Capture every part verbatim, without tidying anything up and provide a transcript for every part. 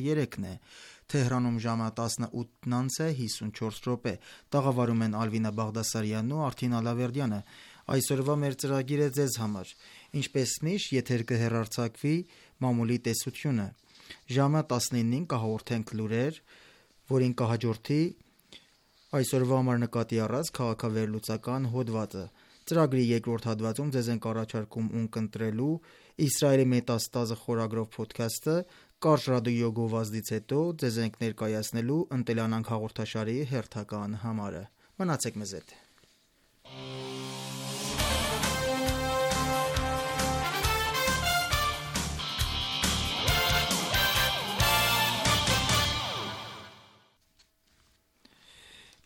երեքն է։ Թեհրանում ժամը տասնութ անց է հիսունչորս րոպե։ Տաղավարում են Ալվինա Բաղդասարյանն ու Արթին Ալավերդյանը։ Այսօրվա մեր ծրագիրը ձեզ համար։ Ինչպես միշտ, եթեր կհեռարձակվի մամուլի տեսությունը։ Ժամը տասնինին կհաղորդենք լուրեր, որին կհաջորդի այսօրվա համար նկատի առած քաղաքավերլուծական հոդվածը։ Ծրագրի երկրորդ հատվածում ձեզ ենք առաջարկում ունկնդրելու Իսրայելի մետաստազը խորագրով փոդքասթը, կարճ ռադիո գովազդից հետո ձեզ ենք ներկայացնելու «Ընտելանանք» հաղորդաշարի հերթական համարը։ Մնացեք մեզ հետ։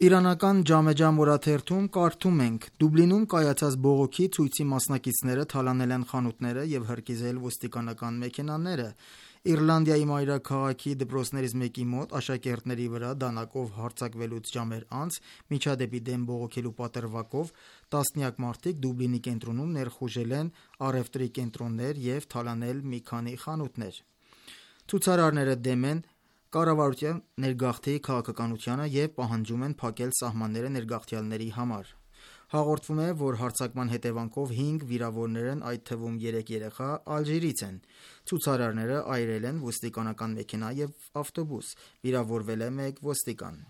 Իրանական «Ջամեջամ» օրաթերթում կարդում ենք. Դուբլինում կայացած բողոքի ցույցի մասնակիցները թալանել են խանութները և հրկիզել ոստիկանական մեքենաները։ Իռլանդիայի մայրաքաղաքի դպրոցներից մեկի մոտ աշակերտների վրա դանակով հարձակվելուց ժամեր անց միջադեպի դեմ բողոքելու պատրվակով տասնյակ մարդիկ Դուբլինի կենտրոնում ներխուժել են առևտրի կենտրոններ և թալանել մի քանի խանութներ։ Ցուցարարները դեմ են կառավարության ներգաղթի քաղաքականությանը և պահանջում են փակել սահմանները ներգաղթյալների համար։ Հաղորդվում է, որ հարձակման հետևանքով հինգ վիրավորներն, այդ թվում երեք երեխա, Ալժիրից են։ Ցուցարարները այրել են ոստիկանական մեքենա և ավտոբուս։ Վիրավորվել է մեկ ոստիկան։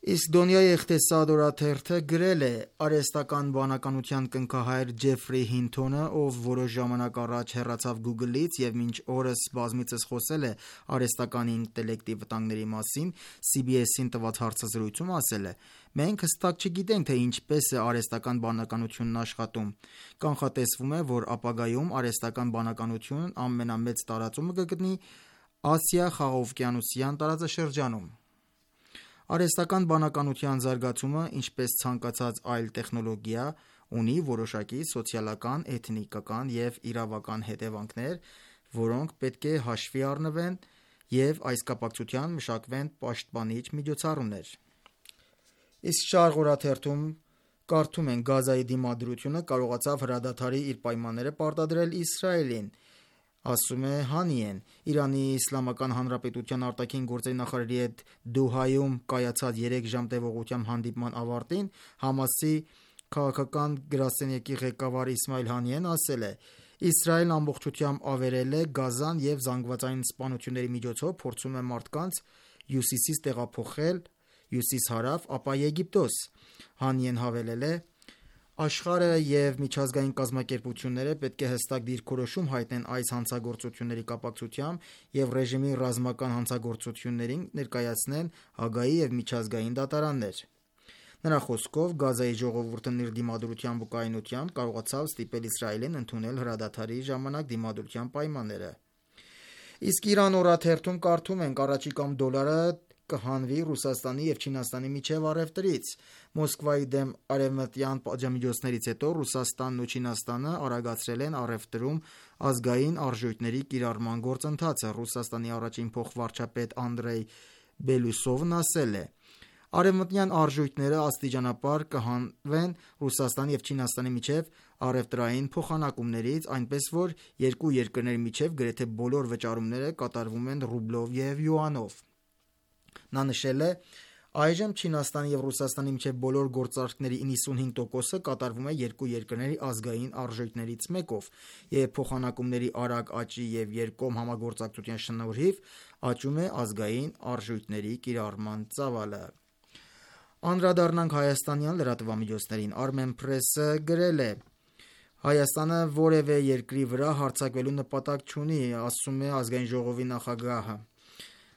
Իսկ Դոնյայի Էղտեսադ օրաթերթը գրել է. Արհեստական բանականության կնքահայր Ջեֆրի Հինթոնը, ով որոշ ժամանակ առաջ հեռացավ Google-ից և մինչ օրս բազմիցս խոսել է արհեստական ինտելեկտի վտանգների մասին, C B S-ին տված հարցազրույցում ասել է. «Մենք հստակ չգիտենք, թե ինչպես է արհեստական բանականությունն աշխատում։ Կանխատեսվում է, որ ապագայում արհեստական բանականությունն ամենամեծ տարածումը կգտնի Ասիա-Խաղաղօվկիանոսյան տարածաշրջանում»։ Արհեստական բանականության զարգացումը, ինչպես ցանկացած այլ տեխնոլոգիա, ունի որոշակի սոցիալական, էթնիկական և իրավական հետևանքներ, որոնք պետք է հաշվի առնվեն և այս կապակցությամբ մշակվեն պաշտպանիչ միջոցառումներ։ Իսկ Շարղ օրաթերթում կարդում ենք. Գազայի դիմադրությունը կարողացավ հրադադարի իր պայմանները պարտադրել Իսրայելին, ասում է Հանիեն։ Իրանի Իսլամական Հանրապետության արտաքին գործերի նախարարի հետ Դոհայում կայացած երեք ժամ տևողությամբ հանդիպման ավարտին ՀԱՄԱՍ-ի քաղաքական գրասենյակի ղեկավար Իսմայիլ Հանիեն ասել է. «Իսրայելն ամբողջությամբ ավերել է Գազան և զանգվածային սպանությունների միջոցով փորձում է մարդկանց հյուսիսից տեղափոխել հյուսիս-հարավ, ապա Եգիպտոս»։ Հանիեն հավելել է. «Աշխարհը և միջազգային կազմակերպությունները պետք է հստակ դիրքորոշում հայտնեն այս հանցագործությունների կապակցությամբ և ռեժիմի ռազմական հանցագործություններին ներկայացնեն Հաագայի և միջազգային դատարաններ»։ Նրա խոսքով, Գազայի ժողովուրդն իր դիմադրությամբ ու կայունությամբ կարողացավ ստիպել Իսրայելին ընդունել հրադադարի ժամանակ դիմադրության պայմանները։ Իսկ Իրան օրաթերթում կարդում ենք. առաջիկայում դոլարը կհանվի Ռուսաստանի և Չինաստանի միջև առևտրից։ Մոսկվայի դեմ արևմտյան պատժամիջոցներից հետո Ռուսաստանն ու Չինաստանը արագացրել են առևտրում ազգային արժույթների կիրառման գործընթացը։ Ռուսաստանի առաջին փոխվարչապետ Անդրեյ Բելուսովն ասել է. «Արևմտյան արժույթները աստիճանաբար կհանվեն Ռուսաստանի և Չինաստանի միջև առևտրային փոխանակումներից, այնպես որ երկու երկրների միջև գրեթե բոլոր վճարումները կատարվում են ռուբլով և յուանով»։ Նա նշել է. «Այժմ Չինաստանի և Ռուսաստանի միջև բոլոր գործարքների նվաթ տոկոսը կատարվում է երկու երկրների ազգային արժույթներից մեկով, և փոխանակումների արագ աճի և երկկողմ համագործակցության շնորհիվ աճում է ազգային արժույթների կիրառման ծավալը»։ Անդրադառնանք հայաստանյան լրատվամիջոցներին։ Armenpress-ը գրել է. «Հայաստանը որևէ երկրի վրա հարձակվելու նպատակ չունի, ասում է Ազգային ժողովի նախագահը»։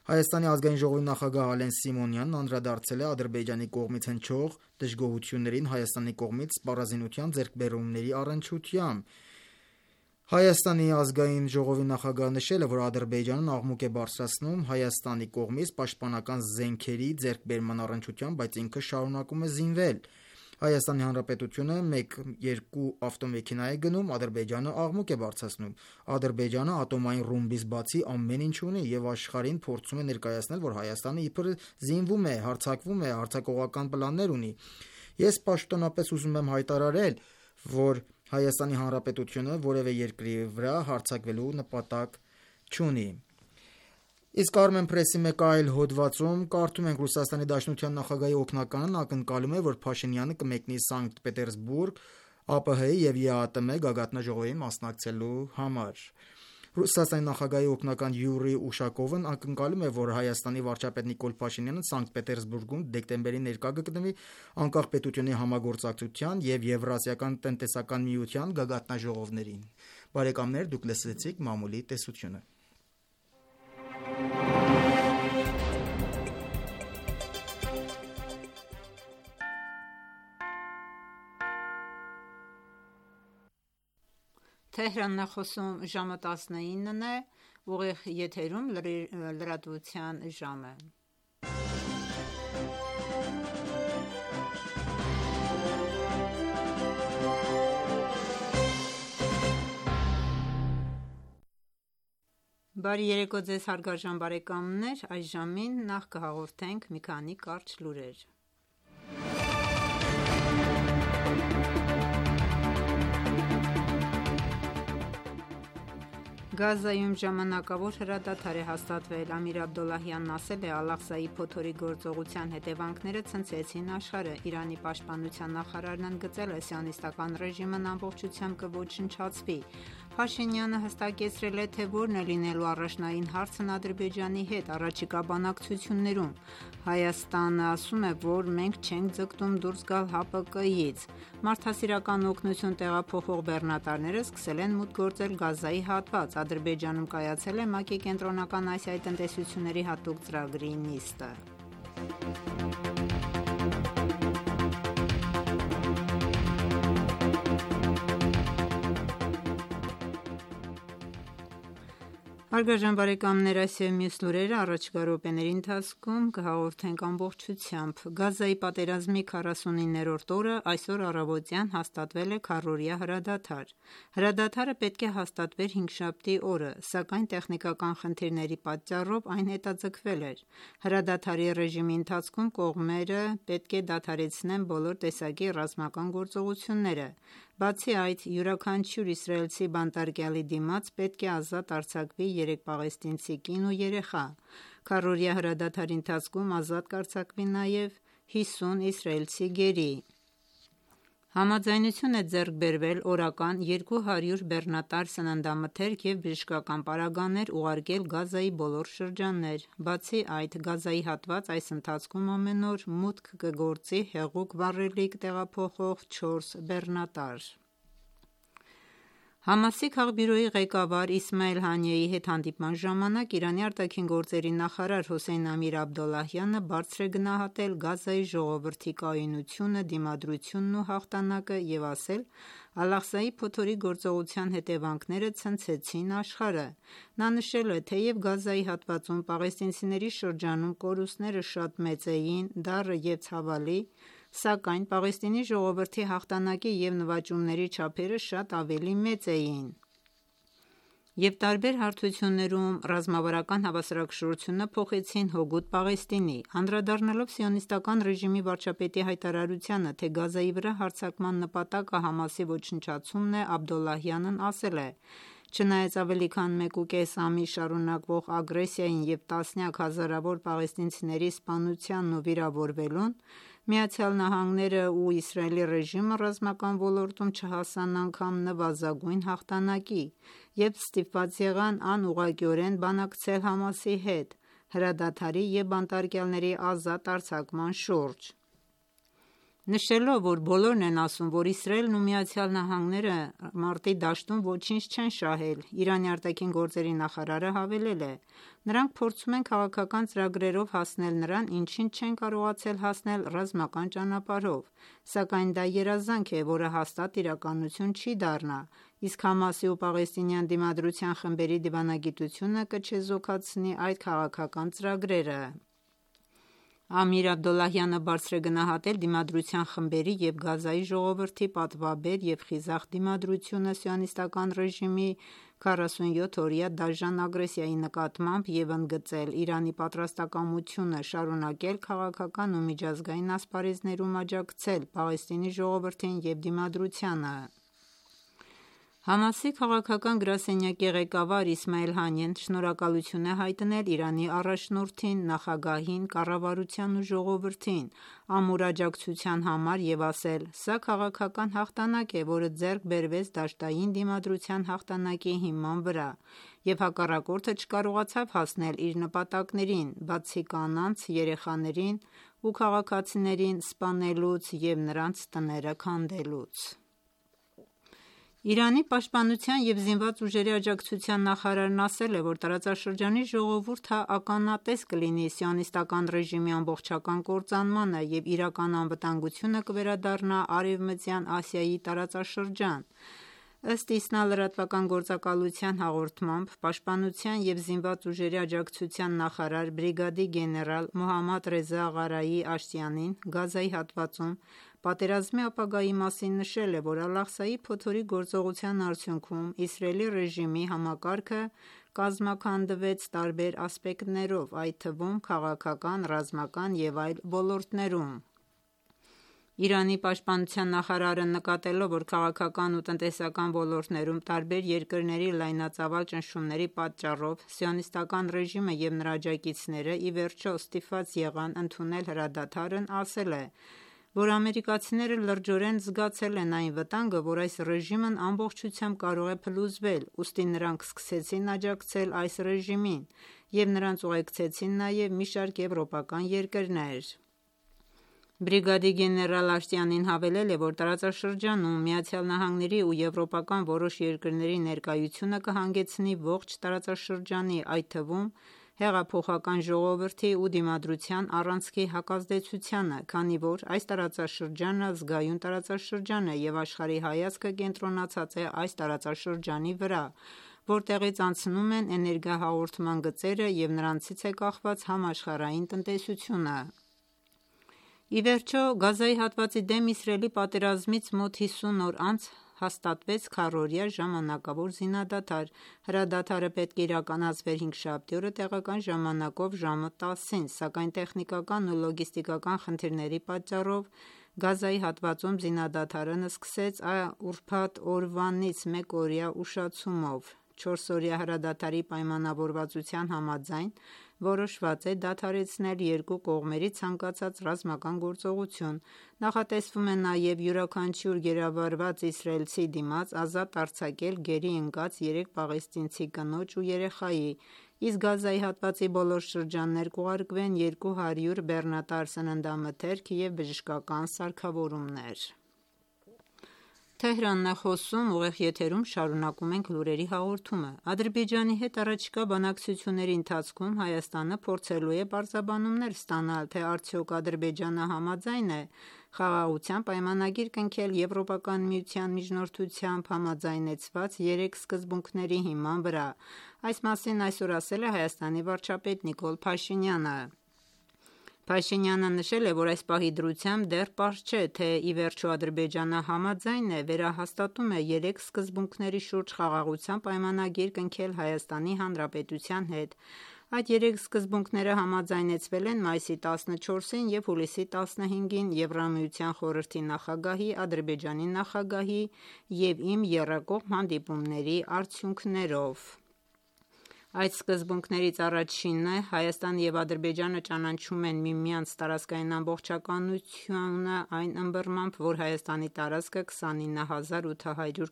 Հայաստանի Ազգային ժողովի նախագահ Ալեն Սիմոնյանն անդրադարձել է Ադրբեջանի կողմից հնչող դժգոհություններին Հայաստանի կողմից սպառազինության ձեռքբերումների առնչությամբ։ Հայաստանի Ազգային ժողովի նախագահը նշել է, որ Ադրբեջանն աղմուկ է բարձրացնում Հայաստանի կողմից պաշտպանական զենքերի ձեռքբերման առնչությամբ, բայց ինքը շարունակում է զինվել։ Հայաստանի Հանրապետությունը մեկ-երկու ավտոմեքենա է գնում, Ադրբեջանը աղմուկ է բարձրացնում։ Ադրբեջանը ատոմային ռումբից բացի ամեն ինչ ունի և աշխարհին փորձում է ներկայացնել, որ Հայաստանը իբր զինվում է, հարձակվում է, հարձակողական պլաններ ունի։ Ես պաշտոնապես ուզում եմ հայտարարել, որ Հայաստանի Հանրապետությունը որևէ երկրի վրա հարձակվելու նպատակ չունի։ Իսկ Armen Press-ի մեկ այլ հոդվածում կարդում ենք Ռուսաստանի Դաշնության նախագահի օգնականն ակնկալում է, որ Փաշինյանը կմեկնի Սանկտ Պետերսբուրգ ԱՊՀ-ի և ԵԱՏՄ գագաթնաժողովին մասնակցելու համար։ Ռուսաստանի նախագահի օգնական Յուրի Ուշակովն ակնկալում է, որ Հայաստանի վարչապետ Նիկոլ Փաշինյանը Սանկտ Պետերսբուրգում դեկտեմբերին ներկա կգտնվի անկախ պետությունների համագործակցության և Եվրասիական տնտեսական միության գագաթնաժողովներին։ Բարեկամներ, դուք լսեցիք մամուլի տեսությունը։ Թեհրանն է խոսում, ժամը տասնինն է, ուղիղ եթերում լրատվության ժամը։ Բարի երեկո ձեզ հարգարժան բարեկամներ, այս ժամին նախ կհաղորդենք մի քանի կարճ լուրեր։ Գազայում ժամանակավոր հրադադար է հաստատվել։ Ամիր Աբդոլլահյանն ասել է, Ալ-Աղսայի փոթորիկ գործողության հետևանքները ցնցեցին աշխարհը։ Իրանի պաշտպանության նախարարն ընդգծել է, սիոնիստական ռեժիմն ամբողջությամբ կոչնչացվի։ Փաշինյանը հստակեցրել է, թե որն է լինելու առաջնային հարցն Ադրբեջանի հետ առաջիկա բանակցություններում։ Հայաստանը ասում է, որ մենք չենք ձգտում դուրս գալ ՀԱՊԿ-ից։ Մարդասիրական օգնություն տեղափոխող բեռնատարները սկսել են մուտք գործել Գազայի հատված։ Ադրբեջանում կայացել է ՄԱԿ-ի Կենտրոնական Ասիայի տնտեսությունների հատուկ ծրագրի նիստը։ Հարգարժան բարեկամներ, այս և մյուս լուրերը առաջիկա րոպեների ընթացքում կհաղորդենք ամբողջությամբ։ Գազայի պատերազմի քառասունիններորդ օրը այսօր առավոտյան հաստատվել է քառօրյա հրադադար։ Հրադադարը պետք է հաստատվեր հինգշաբթի օրը, սակայն տեխնիկական խնդիրների պատճառով այն հետաձգվել էր։ Հրադադարի ռեժիմի ընթացքում կողմերը պետք է դադարեցնեն բոլոր տեսակի ռազմական գործողությունները։ Բացի այդ, յուրաքանչյուր իսրայելցի բանտարկյալի դիմաց պետք է ազատ արձակվի երեք պաղեստինցի կին ու երեխա։ Քառօրյա հրադադարի ընթացքում ազատ կարձակվի նաև հիսուն իսրայելցի գերի։ Համաձայնություն է ձեռք բերվել օրական երկու հարյուր բեռնատար սննդամթերք և բժշկական պարագաներ ուղարկել Գազայի բոլոր շրջաններ։ Բացի այդ, Գազայի հատված այս ընթացքում ամեն օր մուտք կգործի հեղուկ վառելիք տեղափոխող չորս բեռնատար։ ՀԱՄԱՍ-ի քաղբյուրոյի ղեկավար Իսմայիլ Հանիեի հետ հանդիպման ժամանակ Իրանի ԱԳ նախարար Հոսեյն Ամիր Աբդոլլահյանը բարձր է գնահատել Գազայի ժողովրդի կայունությունը, դիմադրությունն ու հաղթանակը և ասել. «Ալ-Աղսայի փոթորիկ գործողության հետևանքները ցնցեցին աշխարհը»։ Նա նշել է, թեև Գազայի հատվածում պաղեստինցիների շրջանում կորուստները շատ մեծ էին, դառը և ցավալի, սակայն Պաղեստինի ժողովրդի հաղթանակի և նվաճումների չափերը շատ ավելի մեծ էին, և տարբեր հարթություններում ռազմավարական հավասարակշռությունը փոխեցին հօգուտ Պաղեստինի։ Անդրադառնալով սիոնիստական ռեժիմի վարչապետի հայտարարությանը, թե Գազայի վրա հարձակման նպատակը ՀԱՄԱՍ-ի ոչնչացումն է, Աբդոլլահյանն ասել է. «Չնայած ավելի քան մեկ ու կես ամիս շարունակվող ագրեսիային և տասնյակ հազարավոր պաղեստինցիների սպանությանն ու վիրավորվելուն, ԱՄՆ-ն ու Իսրայելի ռեժիմը ռազմական ոլորտում չհասան անգամ նվազագույն հաղթանակի և ստիպված եղան անուղղակիորեն բանակցել ՀԱՄԱՍ-ի հետ հրադադարի և բանտարկյալների ազատ արձակման շուրջ»։ Նշելով, որ բոլորն են ասում, որ Իսրայելն ու ԱՄՆ-ն մարտի դաշտում ոչինչ չեն շահել, Իրանի ԱԳ նախարարը հավելել է. «Նրանք փորձում են քաղաքական ծրագրերով հասնել նրան, ինչին չեն կարողացել հասնել ռազմական ճանապարհով, սակայն դա երազանք է, որը հաստատ իրականություն չի դառնա, իսկ ՀԱՄԱՍ-ի ու պաղեստինյան դիմադրության խմբերի դիվանագիտությունը կչեզոքացնի այդ քաղաքական ծրագրերը»։ Ամիր Աբդոլլահյանը բարձր է գնահատել դիմադրության խմբերի և Գազայի ժողովրդի պատվաբեր և խիզախ դիմադրությունը սիոնիստական ռեժիմի քառասունյոթօրյա դաժան ագրեսիայի նկատմամբ և ընդգծել Իրանի պատրաստակամությունը շարունակել քաղաքական ու միջազգային ասպարեզներում աջակցել Պաղեստինի ժողովրդին և դիմադրությանը։ Համասի քաղաքական գրասենյակի ղեկավար Իսմայել Հանիեն շնորհակալություն է հայտնել Իրանի առաջնորդին, նախագահին, կառավարությանն ու ժողովրդին ամուր աջակցության համար և ասել. «Սա քաղաքական հաղթանակ է, որը ձեռք բերվեց դաշտային դիմադրության հաղթանակի հիման վրա, և հակառակորդը չկարողացավ հասնել իր նպատակներին, բացի կանանց, երեխաներին ու քաղաքացիներին սպանելուց և նրանց տները քանդելուց»։ Իրանի պաշտպանության և զինված ուժերի աջակցության նախարարն ասել է, որ տարածաշրջանի ժողովուրդը ականատես կլինի Սիոնիստական ռեժիմի ամբողջական կործանմանը և իրական անվտանգությունը կվերադառնա Արևմտյան Ասիայի տարածաշրջան։ Ըստ ԻՍՆԱ լրատվական գործակալության հաղորդմամբ, պաշտպանության և զինված ուժերի աջակցության նախարար բրիգադի գեներալ Մոհամմադ Ռեզա Ղարայի Աշտիանին Գազայի հատվածում պատերազմի ապագայի մասին նշել է, որ Ալ-Աղսայի փոթորիկ գործողության արդյունքում Իսրայելի ռեժիմի համակարգը կազմաքանդվեց տարբեր ասպեկտներով, այդ թվում քաղաքական, ռազմական և այլ ոլորտներում։ Իրանի պաշտպանության նախարարը նկատելով, որ քաղաքական ու տնտեսական ոլորտներում տարբեր երկրների լայնածավալ ճնշումների պատճառով Սիոնիստական ռեժիմը և նրա աջակիցները ի վերջո ստիպված եղան ընդունել հրադադարն, ասել է, որ ամերիկացիները լրջորեն զգացել են այն վտանգը, որ այս ռեժիմն ամբողջությամբ կարող է փլուզվել, ուստի նրանք սկսեցին աջակցել այս ռեժիմին և նրանց ուղեկցեցին նաև մի շարք եվրոպական երկրներ։ Բրիգադի գեներալ Աշտիանին հավելել է, որ տարածաշրջանում ԱՄՆ-ի ու եվրոպական որոշ երկրների ներկայությունը կհանգեցնի ողջ տարածաշրջանի, այդ թվում հեղափոխական ժողովրդի ու դիմադրության առանցքի հակազդեցությանը, քանի որ այս տարածաշրջանը զգայուն տարածաշրջան է և աշխարհի հայացքը կենտրոնացած է այս տարածաշրջանի վրա, որտեղից անցնում են էներգիահաղորդման գծերը և նրանցից է կախված համաշխարհային տնտեսությունը։ Ի վերջո, Գազայի հատվածի դեմ Իսրայելի պատերազմից մոտ հիսուն օր անց հաստատվեց քառօրյա ժամանակավոր զինադադար։ Հրադադարը պետք է իրականացվեր հինգշաբթի օրը տեղական ժամանակով ժամը տասին, սակայն տեխնիկական ու լոգիստիկական խնդիրների պատճառով Գազայի հատվածում զինադադարն սկսեց ուրբաթ օրվանից մեկ օրյա ուշացումով։ Չորսօրյա հրադադարի պայմանավորվածության համաձայն որոշված է դադարեցնել երկու կողմերի ցանկացած ռազմական գործողություն։ Նախատեսվում է նաև յուրաքանչյուր գերավարված իսրայելցի դիմաց ազատ արձակել գերի ընկած երեք պաղեստինցի կնոջ ու երեխայի, իսկ Գազայի հատվածի բոլոր շրջաններ կուղարկվեն երկու հարյուր բեռնատար սննդամթերք և բժշկական սարքավորումներ։ Ադրբեջանի հետ առաջիկա բանակցությունների ընթացքում Հայաստանը փորձելու է պարզաբանումներ ստանալ, թե արդյոք Ադրբեջանը համաձայն է Խաղաղության պայմանագիր կնքել Եվրոպական միության միջնորդությամբ համաձայնեցված երեք սկզբունքների հիման վրա։ Այս մասին այսօր ասել է Հայաստանի վարչապետ Նիկոլ Փաշինյանը։ Փաշինյանը նշել է, որ այս պահի դրությամբ դեռ պարզ չէ, թե ի վերջո Ադրբեջանը համաձայն է վերահաստատում է երեք սկզբունքների շուրջ Խաղաղության պայմանագիր կնքել Հայաստանի Հանրապետության հետ։ Այդ երեք սկզբունքները համաձայնեցվել են մայիսի տասնչորսին և հուլիսի տասնհինգին Եվրամիության խորհրդի նախագահի, Ադրբեջանի նախագահի և իմ եռակողմ հանդիպումների արդյունքներով։ Այդ սկզբունքներից առաջինն է Հայաստանն և Ադրբեջանը ճանաչում են միմյանց տարածքային ամբողջականությունը այն ըմբռնմամբ, որ Հայաստանի տարածքը քսանինը հազար ութ հարյուր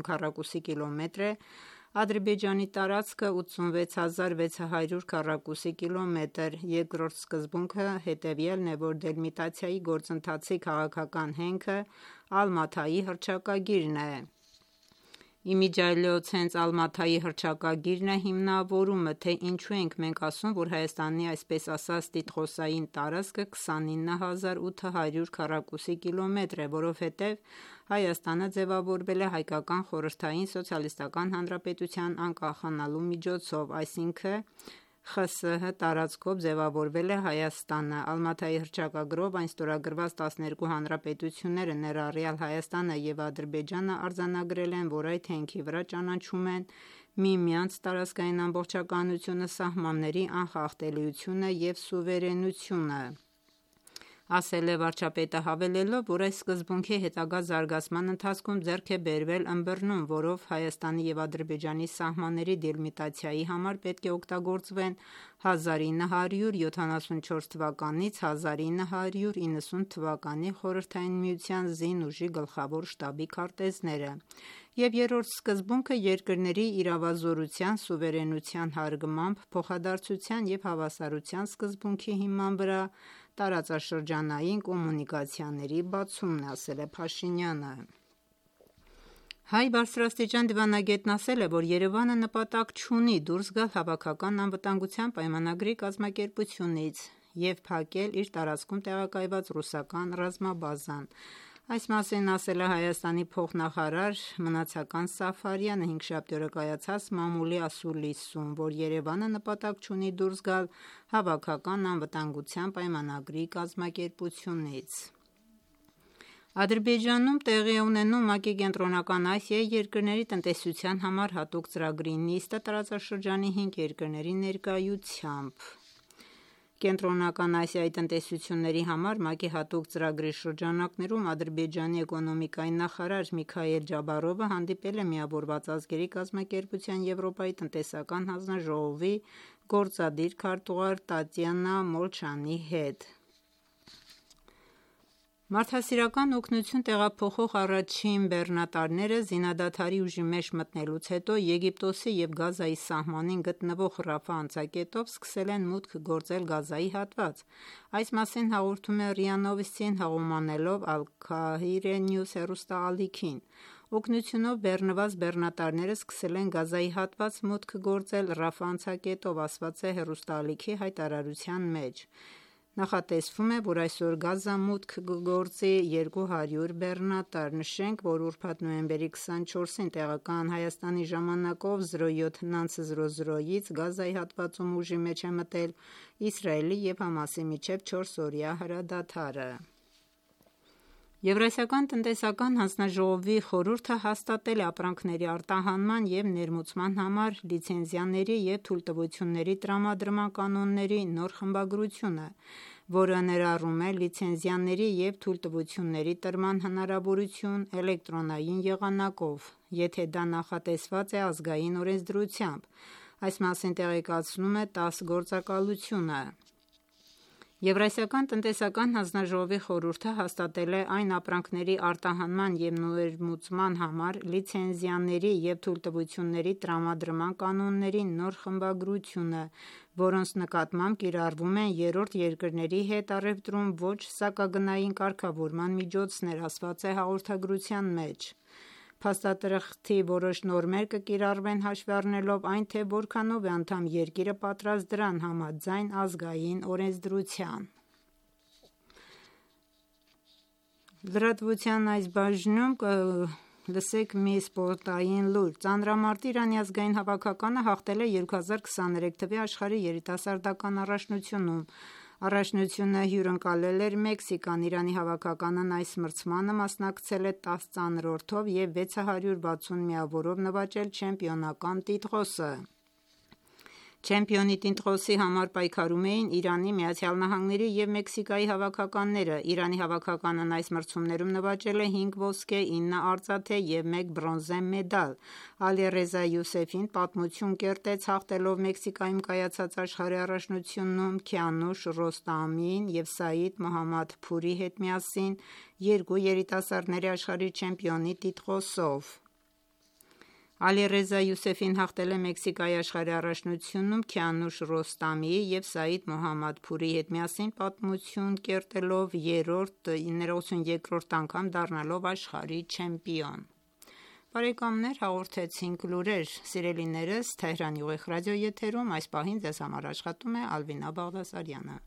քառակուսի կիլոմետր է, Ադրբեջանի տարածքը ութսունվեց հազար վեց հարյուր քառակուսի կիլոմետր։ Երկրորդ սկզբունքը հետևյալն է, որ դելիմիտացիայի գործընթացի քաղաքական հենքը Ալմաթայի հռչակագիրն է։ Իմիջիայլոց հենց Ալմաթայի հռչակագիրն է հիմնավորումը, թե ինչու ենք մենք ասում, որ Հայաստանի այսպես ասած տիտղոսային տարածքը քսանինը հազար ութ հարյուր քառակուսի կիլոմետր է, որովհետև Հայաստանը ձևավորվել է հայկական խորհրդային սոցիալիստական հանրապետության անկախանալու միջոցով, այսինքն ԽՍՀ տարածքով ձևավորվել է Հայաստանը։ Ալմաթայի հռչակագրով այն ստորագրված տասներկու հանրապետությունները, ներառյալ Հայաստանը և Ադրբեջանը, արձանագրել են, որ այդ հենքի վրա ճանաչում են միմյանց տարածքային ամբողջականությունը, սահմանների անխախտելիությունը և սուվերենությունը։ ասել է վարչապետը, հավելելով, որ այս սկզբունքի հետագա զարգացման ընթացքում ձեռք է բերվել ըմբռնում, որով Հայաստանի և Ադրբեջանի սահմանների դելիմիտացիայի համար պետք է օգտագործվեն հազար ինը հարյուր յոթանասունչորս թվականից հազար ինը հարյուր իննսուն թվականի Խորհրդային Միության զինուժի գլխավոր շտաբի քարտեզները, և երրորդ սկզբունքը երկրների իրավազորության, սուվերենության հարգմամբ, փոխադարձության և հավասարության սկզբունքի հիման վրա տարածաշրջանային կոմունիկացիաների բացումն է, ասել է Փաշինյանը: Հայ բարձրաստիճան դիվանագետն ասել է, որ Երևանը նպատակ չունի դուրս գալ Հավաքական անվտանգության պայմանագրի կազմակերպությունից և փակել իր տարածքում տեղակայված ռուսական ռազմաբազան: Այս մասին ասել է Հայաստանի փոխնախարար Մնացական Սաֆարյանը հինգշաբթի օրը կայացած մամուլի ասուլիսում, որ Երևանը նպատակ չունի դուրս գալ Հավաքական անվտանգության պայմանագրի կազմակերպությունից: Ադրբեջանում տեղի է ունենում ՄԱԿ-ի Կենտրոնական Ասիայի երկրների տնտեսության համար հատուկ ծրագրի նիստը տարածաշրջանի հինգ երկրների ներկայությամբ: Կենտրոնական Ասիայի տնտեսությունների համար ՄԱԿ-ի հատուկ ծրագրի շրջանակներում Ադրբեջանի էկոնոմիկայի նախարար Միքայել Ջաբարովը հանդիպել է Միավորված ազգերի կազմակերպության Եվրոպայի տնտեսական հանձնաժողովի գործադիր քարտուղար Տատյանա Մոլչանի հետ: Մարդասիրական օգնություն տեղափոխող առաջին բեռնատարները զինադադարի ուժի մեջ մտնելուց հետո Եգիպտոսի և Գազայի սահմանին գտնվող Ռաֆա անցակետով սկսել են մուտք գործել Գազայի հատված: Այս մասին հաղորդում է ՌԻԱ Նովոստին հղում անելով Al-Kahire News հեռուստաալիքին: Օգնությունով բեռնված բեռնատարները սկսել են Գազայի հատված մուտք գործել Ռաֆա անցակետով, ասված է հեռուստաալիքի հայտարարության մեջ: Նախատեսվում է, որ այսօր Գազա մուտք կգործի երկու հարյուր բեռնատար: Նշենք, որ ուրբաթ նոյեմբերի քսանչորսին տեղական Հայաստանի ժամանակով զրո յոթ ից Գազայի հատվածում ուժի մեջ է մտել Իսրայելի և ՀԱՄԱՍ-ի միջև չորսօրյա հրադադարը: Եվրասիական տնտեսական հանձնաժողովի խորհուրդը հաստատել է ապրանքների արտահանման և ներմուծման համար լիցենզիաների և թույլտվությունների տրամադրման կանոնների նոր խմբագրությունը, որը ներառում է լիցենզիաների և թույլտվությունների տրման հնարավորություն էլեկտրոնային եղանակով, եթե դա նախատեսված է ազգային օրենսդրությամբ: Այս մասին տեղեկացնում է ՏԱՍՍ գործակալությունը: Եվրասիական տնտեսական հանձնաժողովի խորհուրդը հաստատել է այն ապրանքների արտահանման և ներմուծման համար լիցենզիաների և թույլտվությունների տրամադրման կանոնների նոր խմբագրությունը, որոնց նկատմամբ կիրառվում են երրորդ երկրների հետ առևտրում ոչ սակագնային կարգավորման միջոցներ, ասված է հաղորդագրության մեջ: Փաստաթղթի որոշ նորմեր կկիրառվեն հաշվի առնելով այն, թե որքանով է անդամ երկիրը պատրաստ դրան համաձայն ազգային օրենսդրության: Լրատվության այս բաժնում կլսեք մի սպորտային լուր: Ծանրամարտի Իրանի ազգային հավաքականը հաղթել է երկու հազար քսաներեք թվականի աշխարհի երիտասարդական առաջնությունում: Առաջնությունը հյուրընկալել էր Մեքսիկան: Իրանի հավաքականն այս մրցմանը մասնակցել է տասը ծանրորդով և վեց հարյուր վաթսուն միավորով նվաճել չեմպիոնական տիտղոսը: Չեմպիոնի տիտղոսի համար պայքարում էին Իրանի, ԱՄՆ-ի և Մեքսիկայի հավաքականները: Իրանի հավաքականն այս մրցումներում նվաճել է հինգ ոսկե, ինը արծաթե և մեկ բրոնզե մեդալ: Ալիռեզա Յուսեֆին պատմություն կերտեց հաղթելով Մեքսիկայում կայացած աշխարհի առաջնությունում Քիանուշ Ռոստամին և Սաիդ Մոհամմադփուրի հետ միասին երկու երիտասարդների աշխարհի չեմպիոնի տիտղոսով: Ալիռեզա Յուսեֆին հաղթել է Մեքսիկայի աշխարհի առաջնությունում Քիանուշ Ռոստամիի և Սաիդ Մոհամմադփուրի հետ միասին պատմություն կերտելով ներողություն անգամ դառնալով աշխարհի չեմպիոն: Բարեկամներ հաղորդեցինք լուրեր: Սիրելիներս Թեհրանի ուղիղ ռադիոեթերում այս պահին Ձեզ համար աշխատում է Ալվինա Բաղդասարյանը: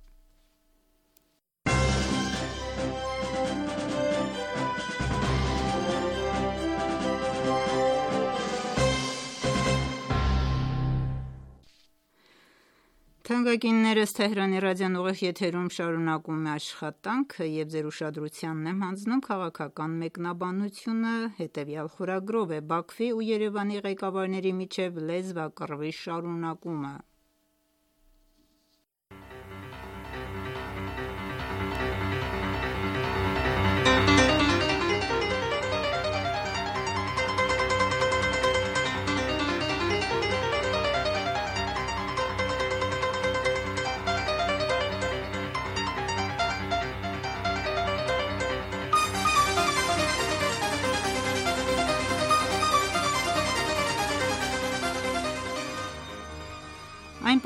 Թանկագիններս Թեհրանի ռադիոն ուղիղ եթերում շարունակում է աշխատանքը և Ձեր ուշադրությանն եմ հանձնում քաղաքական մեկնաբանությունը: Հետևյալ խորագրով է. Բաքվի ու Երևանի ղեկավարների միջև լեզվակռվի շարունակումը: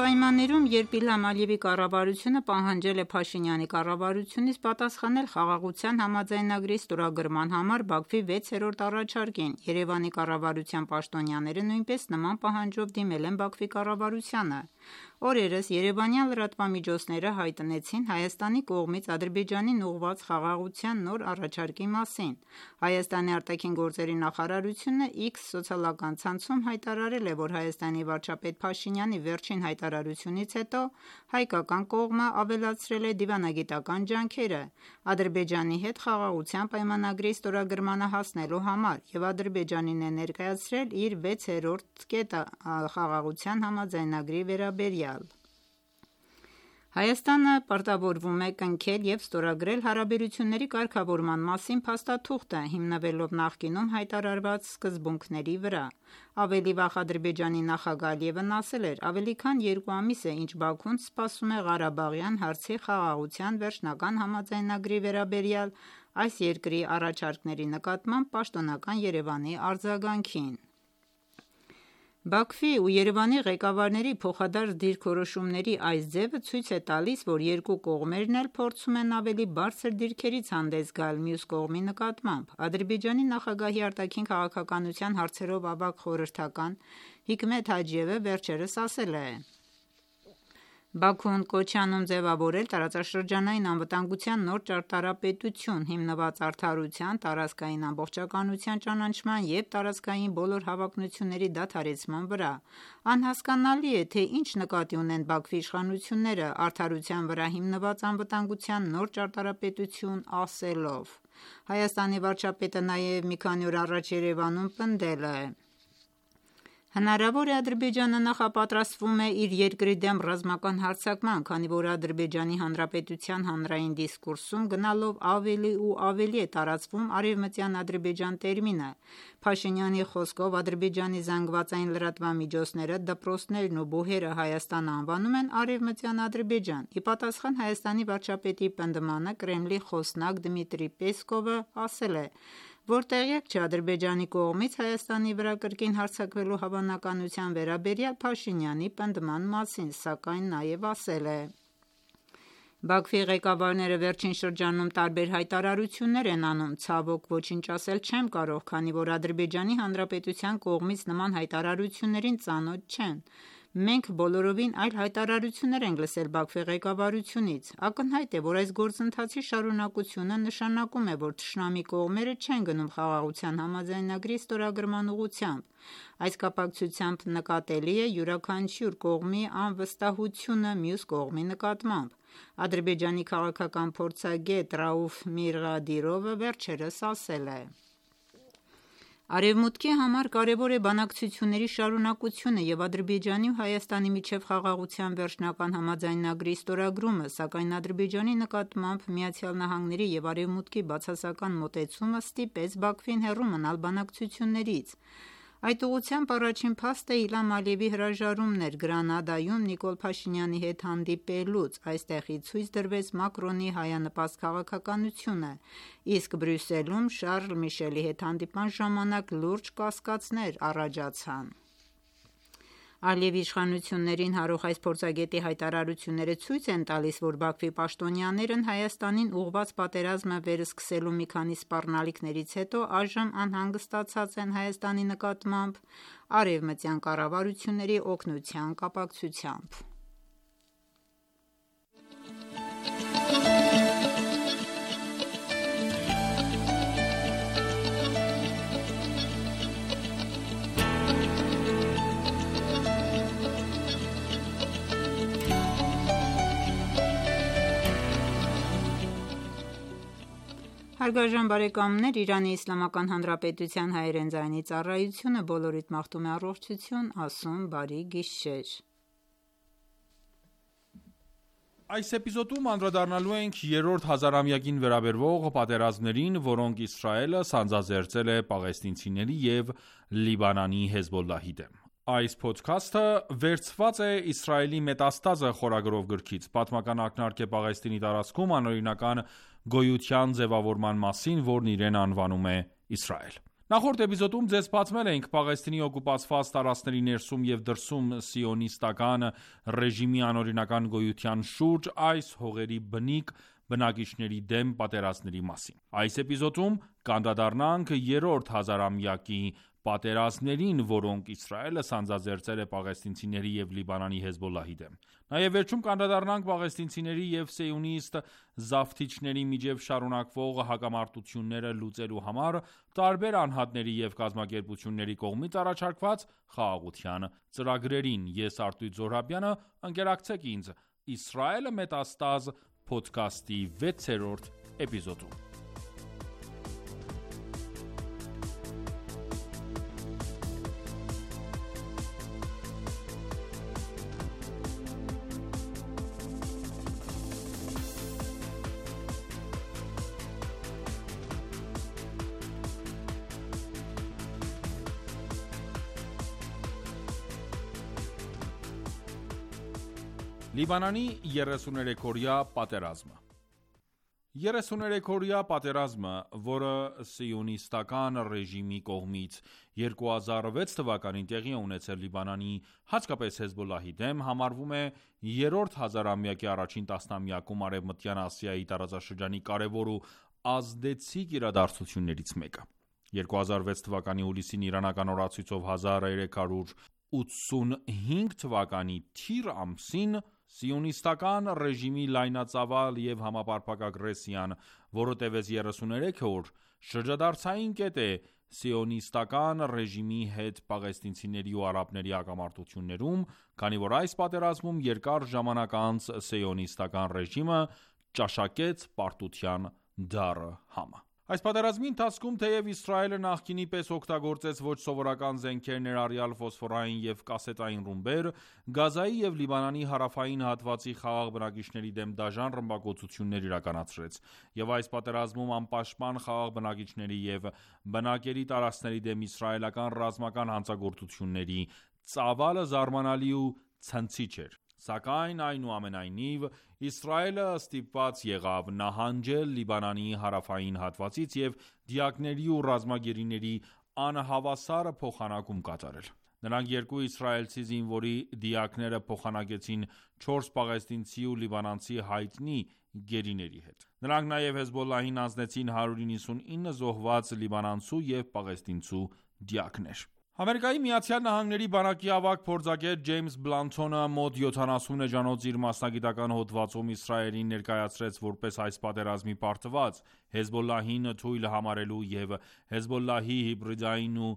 պայմաններում, երբ Իլհամ Ալիևի կառավարությունը պահանջել է Փաշինյանի կառավարությունից պատասխանել Խաղաղության համաձայնագրի ստորագրման համար Բաքվի վեցերորդ առաջարկին, Երևանի կառավարության պաշտոնյաները նույնպես նման պահանջով դիմել են Բաքվի կառավարությանը։ Օրերս երևանյան լրատվամիջոցները հայտնեցին Հայաստանի կողմից Ադրբեջանին ուղղված խաղաղության նոր առաջարկի մասին։ Հայաստանի արտաքին գործերի նախարարությունը X սոցիալական ցանցում հայտարարել է, որ Հայաստանի վարչապետ Փաշինյանի վերջին հայտարարությունից հետո հայկական կողմը ավելացրել է դիվանագիտական ջանքերը Ադրբեջանի հետ խաղաղության պայմանագրի ստորագրմանը հասնելու համար և Ադրբեջանին է ներկայացրել իր վեցերորդ կետը խաղաղության համաձայնագրի վերաբերյալ։ Հայաստանը պարտավորվում է կնքել և ստորագրել հարաբերությունների կարգավորման մասին փաստաթուղթը, հիմնվելով նախկինում հայտարարված սկզբունքների վրա։ Ավելի վաղ Ադրբեջանի նախագահ Ալիևն ասել էր. «Ավելի քան երկու ամիս է, ինչ Բաքուն սպասում է Ղարաբաղյան հարցի խաղաղության վերջնական համաձայնագրի վերաբերյալ այս երկրի առաջարկների նկատմամբ պաշտոնական Երևանի արձագանքին»։ Բաքվի ու Երևանի ղեկավարների փոխադարձ դիրքորոշումների այս ձևը ցույց է տալիս, որ երկու կողմերն էլ փորձում են ավելի բարձր դիրքերից հանդես գալ մյուս կողմի նկատմամբ։ Ադրբեջանի նախագահի արտաքին քաղաքականության հարցերով ավագ խորհրդական Հիկմեթ Հաջիևը վերջերս ասել է. «Բաքուն կոչ է անում ձևավորել տարածաշրջանային անվտանգության նոր ճարտարապետություն՝ հիմնված արդարության, տարածքային ամբողջականության ճանաչման և տարածքային բոլոր հավակնությունների դադարեցման վրա։ Անհասկանալի է, թե ինչ նկատի ունեն Բաքվի իշխանությունները արդարության վրա հիմնված անվտանգության նոր ճարտարապետություն ասելով»։ Հայաստանի վարչապետը նաև մի քանի օր առաջ Երևանում պնդել է. «Հնարավոր է Ադրբեջանը նախապատրաստվում է իր երկրի դեմ ռազմական հարձակման, քանի որ Ադրբեջանի Հանրապետության հանրային դիսկուրսում գնալով ավելի ու ավելի է տարածվում արևմտյան Ադրբեջան տերմինը։ Փաշինյանի խոսքով Ադրբեջանի զանգվածային լրատվամիջոցները դպրոցներն ու բուհերը Հայաստանը անվանում են Արևմտյան Ադրբեջան։ Ի պատասխան Հայաստանի վարչապետի պնդմանը Կրեմլի խոսնակ Դմիտրի Պեսկովը ասել է, որ տեղյակ չէ Ադրբեջանի կողմից Հայաստանի վրա կրկին հարձակվելու հավանականության վերաբերյալ Փաշինյանի պնդման մասին, սակայն նաև ասել է. «Բաքվի ղեկավարները վերջին շրջանում տարբեր հայտարարություններ են անում, ցավոք ոչինչ ասել չեմ կարող, քանի որ Ադրբեջանի Հանրապետության կողմից նման հայտարարություններին ծանոթ չեն։ Մենք բոլորովին այլ հայտարարություններ ենք լսել Բաքվի ղեկավարությունից։ Ակնհայտ է, որ այս գործընթացի շարունակությունը նշանակում է, որ թշնամի կողմերը չեն գնում խաղաղության համաձայնագրի ստորագրման ուղղությամբ։ Այս կապակցությամբ նկատելի է յուրաքանչյուր կողմի անվստահությունը մյուս կողմի նկատմամբ։ Ադրբեջանի քաղաքական փորձագետ Ռաուֆ Միրղադիրովը վերջերս ասել է. «Արևմուտքի համար կարևոր է բանակցությունների շարունակությունը և Ադրբեջանի ու Հայաստանի միջև խաղաղության վերջնական համաձայնագրի ստորագրումը, սակայն Ադրբեջանի նկատմամբ ԱՄՆ-ի և Արևմուտքի բացասական մոտեցումը ստիպեց Բաքվին հեռու մնալ բանակցություններից։ Այդ ուղղությամբ առաջին փաստը Իլհամ Ալիևի հրաժարումն էր Գրանադայում Նիկոլ Փաշինյանի հետ հանդիպելուց։ Այստեղից ցույց դրվեց Մակրոնի հայանպաստ քաղաքականությունը, իսկ Բրյուսելում Շարլ Միշելի հետ հանդիպման ժամանակ լուրջ կասկածներ առաջացան»։ Ալիևի իշխանություններին հարող այս փորձագետի հայտարարությունները ցույց են տալիս, որ Բաքվի պաշտոնյաներն Հայաստանին ուղղված պատերազմը վերսկսելու մի քանի սպառնալիքներից հետո այժմ անհանգստացած են Հայաստանի նկատմամբ արևմտյան կառավարությունների օգնության կապակցությամբ։ Հարգարժան բարեկամներ, Իրանի Իսլամական Հանրապետության հայերեն ձայնի ծառայությունը բոլորիդ մաղթում է առողջություն, ասում բարի գիշեր։ Այս էպիզոդում անդրադառնալու ենք երրորդ հազարամյակին վերաբերվող պատերազմներին, որոնք Իսրայելը սանձազերծել է պաղեստինցիների և Լիբանանի Հեզբոլլահի դեմ։ Այս փոդքասթը վերցված է Իսրայելի Մետաստազը խորագրով գրքից։ Պատմական ակնարկ է Պաղեստինի տարածքում անօրինական գոյության ձևավորման մասին, որն իրեն անվանում է Իսրայել։ Նախորդ էպիզոդում ձեզ բացմել ենք Պաղեստինի օկուպացված տարածքների ներսում և դրսում սիոնիստական ռեժիմի անօրինական գոյության շուրջ այս հողերի բնիկ բնակիչների դեմ պատերազմների մասին։ Այս էպիզոդում կանդրադառնանք երրորդ հազարամյակի պատերազմներին, որոնք Իսրայելը սանձազերծել է պաղեստինցիների և Լիբանանի Հեզբոլլահի դեմ։ Նաև վերջում կանդրադառնանք պաղեստինցիների և սիոնիստ զավթիչների միջև շարունակվող հակամարտությունները լուծելու համար տարբեր անհատների և կազմակերպությունների կողմից առաջարկված խաղաղության ծրագրերին։ Ես Արտույտ Զոհրաբյանը, ընկերակցեք ինձ «Իսրայելը մետաստազ» փոդքասթի վեցերորդ էպիզոդում։ Լիբանանի երեսուներեքօրյա պատերազմը երեսուներեքօրյա պատերազմը, որը սիոնիստական ռեժիմի կողմից երկու հազար վեց թվականին տեղի է ունեցել Լիբանանի, հատկապես Հեզբոլլահի դեմ, համարվում է երրորդ հազարամյակի առաջին տասնամյակում Արևմտյան Ասիայի տարածաշրջանի կարևոր ու ազդեցիկ իրադարձություններից մեկը։ երկու հազար վեց թվականի հուլիսին իրանական օրացույցով հազար երեք հարյուր ութսունհինգ թվականի թիր ամսին սիոնիստական ռեժիմի լայնածավալ և համապարփակ ագրեսիան, որը տևեց երեսուներեք օր, շրջադարձային կետ է սիոնիստական ռեժիմի հետ պաղեստինցիների ու արաբների հակամարտություններում, քանի որ այս պատերազմում երկար ժամանակ անց սիոնիստական ռեժիմը ճաշակեց պարտության դառը համը։ Այս պատերազմի ընթացքում, թեև Իսրայելը նախկինի պես օգտագործեց ոչ սովորական զենքեր, ներառյալ ֆոսֆորային և կասետային ռումբեր, Գազայի և Լիբանանի հարավային հատվածի խաղաղ բնակիչների դեմ դաժան ռմբակոծություններ իրականացրեց, և այս պատերազմում անպաշտպան խաղաղ բնակիչների և բնակելի տարածքների դեմ իսրայելական ռազմական հանցագործությունների ծավալը զարմանալի ու ցնցիչ էր։ Սակայն, այնուամենայնիվ, Իսրայելը ստիպված եղավ նահանջել Լիբանանի հարավային հատվածից և դիակների ու ռազմագերիների անհավասար փոխանակում կատարել։ Նրանք երկու իսրայելցի զինվորի դիակները փոխանակեցին չորս պաղեստինցի ու լիբանանցի հայտնի գերիների հետ։ Նրանք նաև Հեզբոլլահին հանձնեցին հարյուր իննսունինը զոհված լիբանանցու և պաղեստինցու դիակներ։ Ամերիկայի Միացյալ Նահանգների բանակի ավագ փորձագետ Ջեյմս Բլանթոնը մոտ յոթանասուն էջանոց իր մասնագիտական հոդվածում Իսրայելին ներկայացրեց որպես այս պատերազմի պարտված՝ Հեզբոլլահին թույլ համարելու և Հեզբոլլահի հիբրիդային ու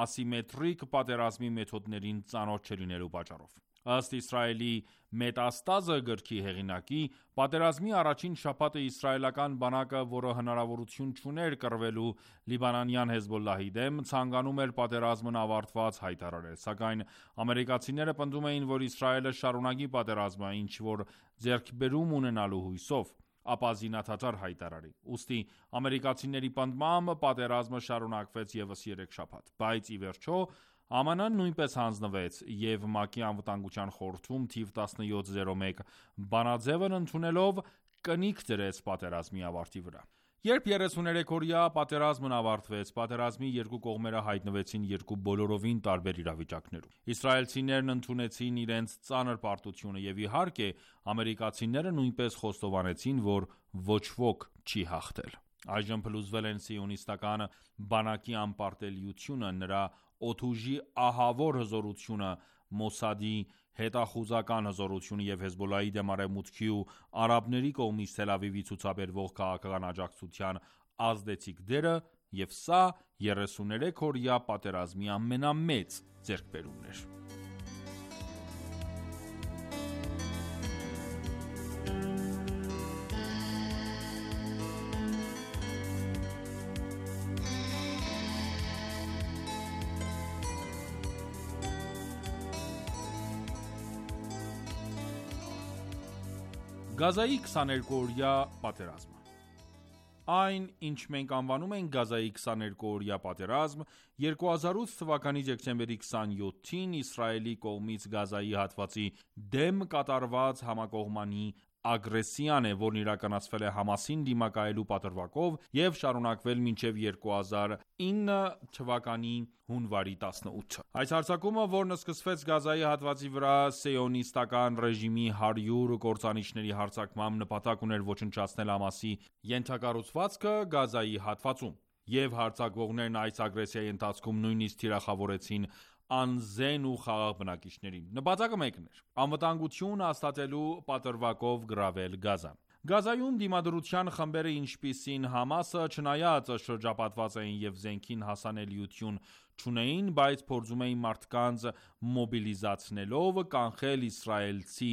ասիմետրիկ պատերազմի մեթոդներին ծանոթ չլինելու պատճառով։ Ըստ Իսրայելի Մետաստազը գրքի հեղինակի, պատերազմի առաջին շաբաթը իսրայելական բանակը, որը հնարավորություն չուներ կռվելու լիբանանյան Հեզբոլլահի դեմ, ցանկանում էր պատերազմն ավարտված հայտարարել, սակայն ամերիկացիները պնդում էին, որ Իսրայելը շարունակի պատերազմը, ինչ-որ ձեռքբերում ունենալու հույսով, ապա զինադադար հայտարարի։ Ուստի ամերիկացիների պնդմամբ պատերազմը շարունակվեց ևս երեք շաբաթ, բայց ի վերջո ԱՄՆ-ն նույնպես հանձնվեց և ՄԱԿ-ի Անվտանգության խորհրդում թիվ տասնյոթ զիրո մեկ բանաձևն ընդունելով կնիկ դրեց պատերազմի ավարտի վրա։ Երբ երեսուներեքօրյա պատերազմն ավարտվեց, պատերազմի երկու կողմերը հայտնվեցին երկու բոլորովին տարբեր իրավիճակներում։ Իսրայելցիներն ընդունեցին իրենց ծանր պարտությունը և իհարկե ամերիկացիները նույնպես խոստովանեցին, որ ոչ ոք չի հաղթել։ Այժմ փլուզվել են սիոնիստական բանակի անպարտելիությունը, նրա օդուժի ահավոր հզորությունը, Մոսադի հետախուզական հզորությունը և Հեզբոլլահի դեմ Արևմուտքի ու արաբների կողմից Թել Ավիվի ցուցաբերվող քաղաքական աջակցության ազդեցիկ դերը, և սա երեսուներեքօրյա պատերազմի ամենամեծ ձեռքբերումն էր։ Գազայի քսաներկուօրյա պատերազմը Այն, ինչ մենք անվանում ենք Գազայի քսաներկուօրյա պատերազմ, երկու հազար ութ թվականի դեկտեմբերի քսանյոթին Իսրայելի կողմից Գազայի հատվածի դեմ կատարված համակողմանի ագրեսիան է, որն իրականացվել է Համասին դիմակայելու պատրվակով և շարունակվել մինչև երկու հազար ինը թվականի հունվարի տասնութը։ Այս հարձակումը, որն սկսվեց Գազայի հատվածի վրա սիոնիստական ռեժիմի հարյուր կործանիչների հարձակմամբ, նպատակ ուներ ոչնչացնել Համասի ենթակառուցվածքը Գազայի հատվածում, և հարձակվողներն այս ագրեսիայի ընթացքում նույնիսկ թիրախավորեցին անզեն ու խաղաղ բնակիչներին։ Նպատակը մեկն էր՝ անվտանգություն հաստատելու պատրվակով գրավել Գազան։ Գազայում դիմադրության խմբերը, ինչպիսին Համասը, չնայած շրջապատված էին և զենքին հասանելիություն չունեին, բայց փորձում էին մարդկանց մոբիլիզացնելով կանխել իսրայելցի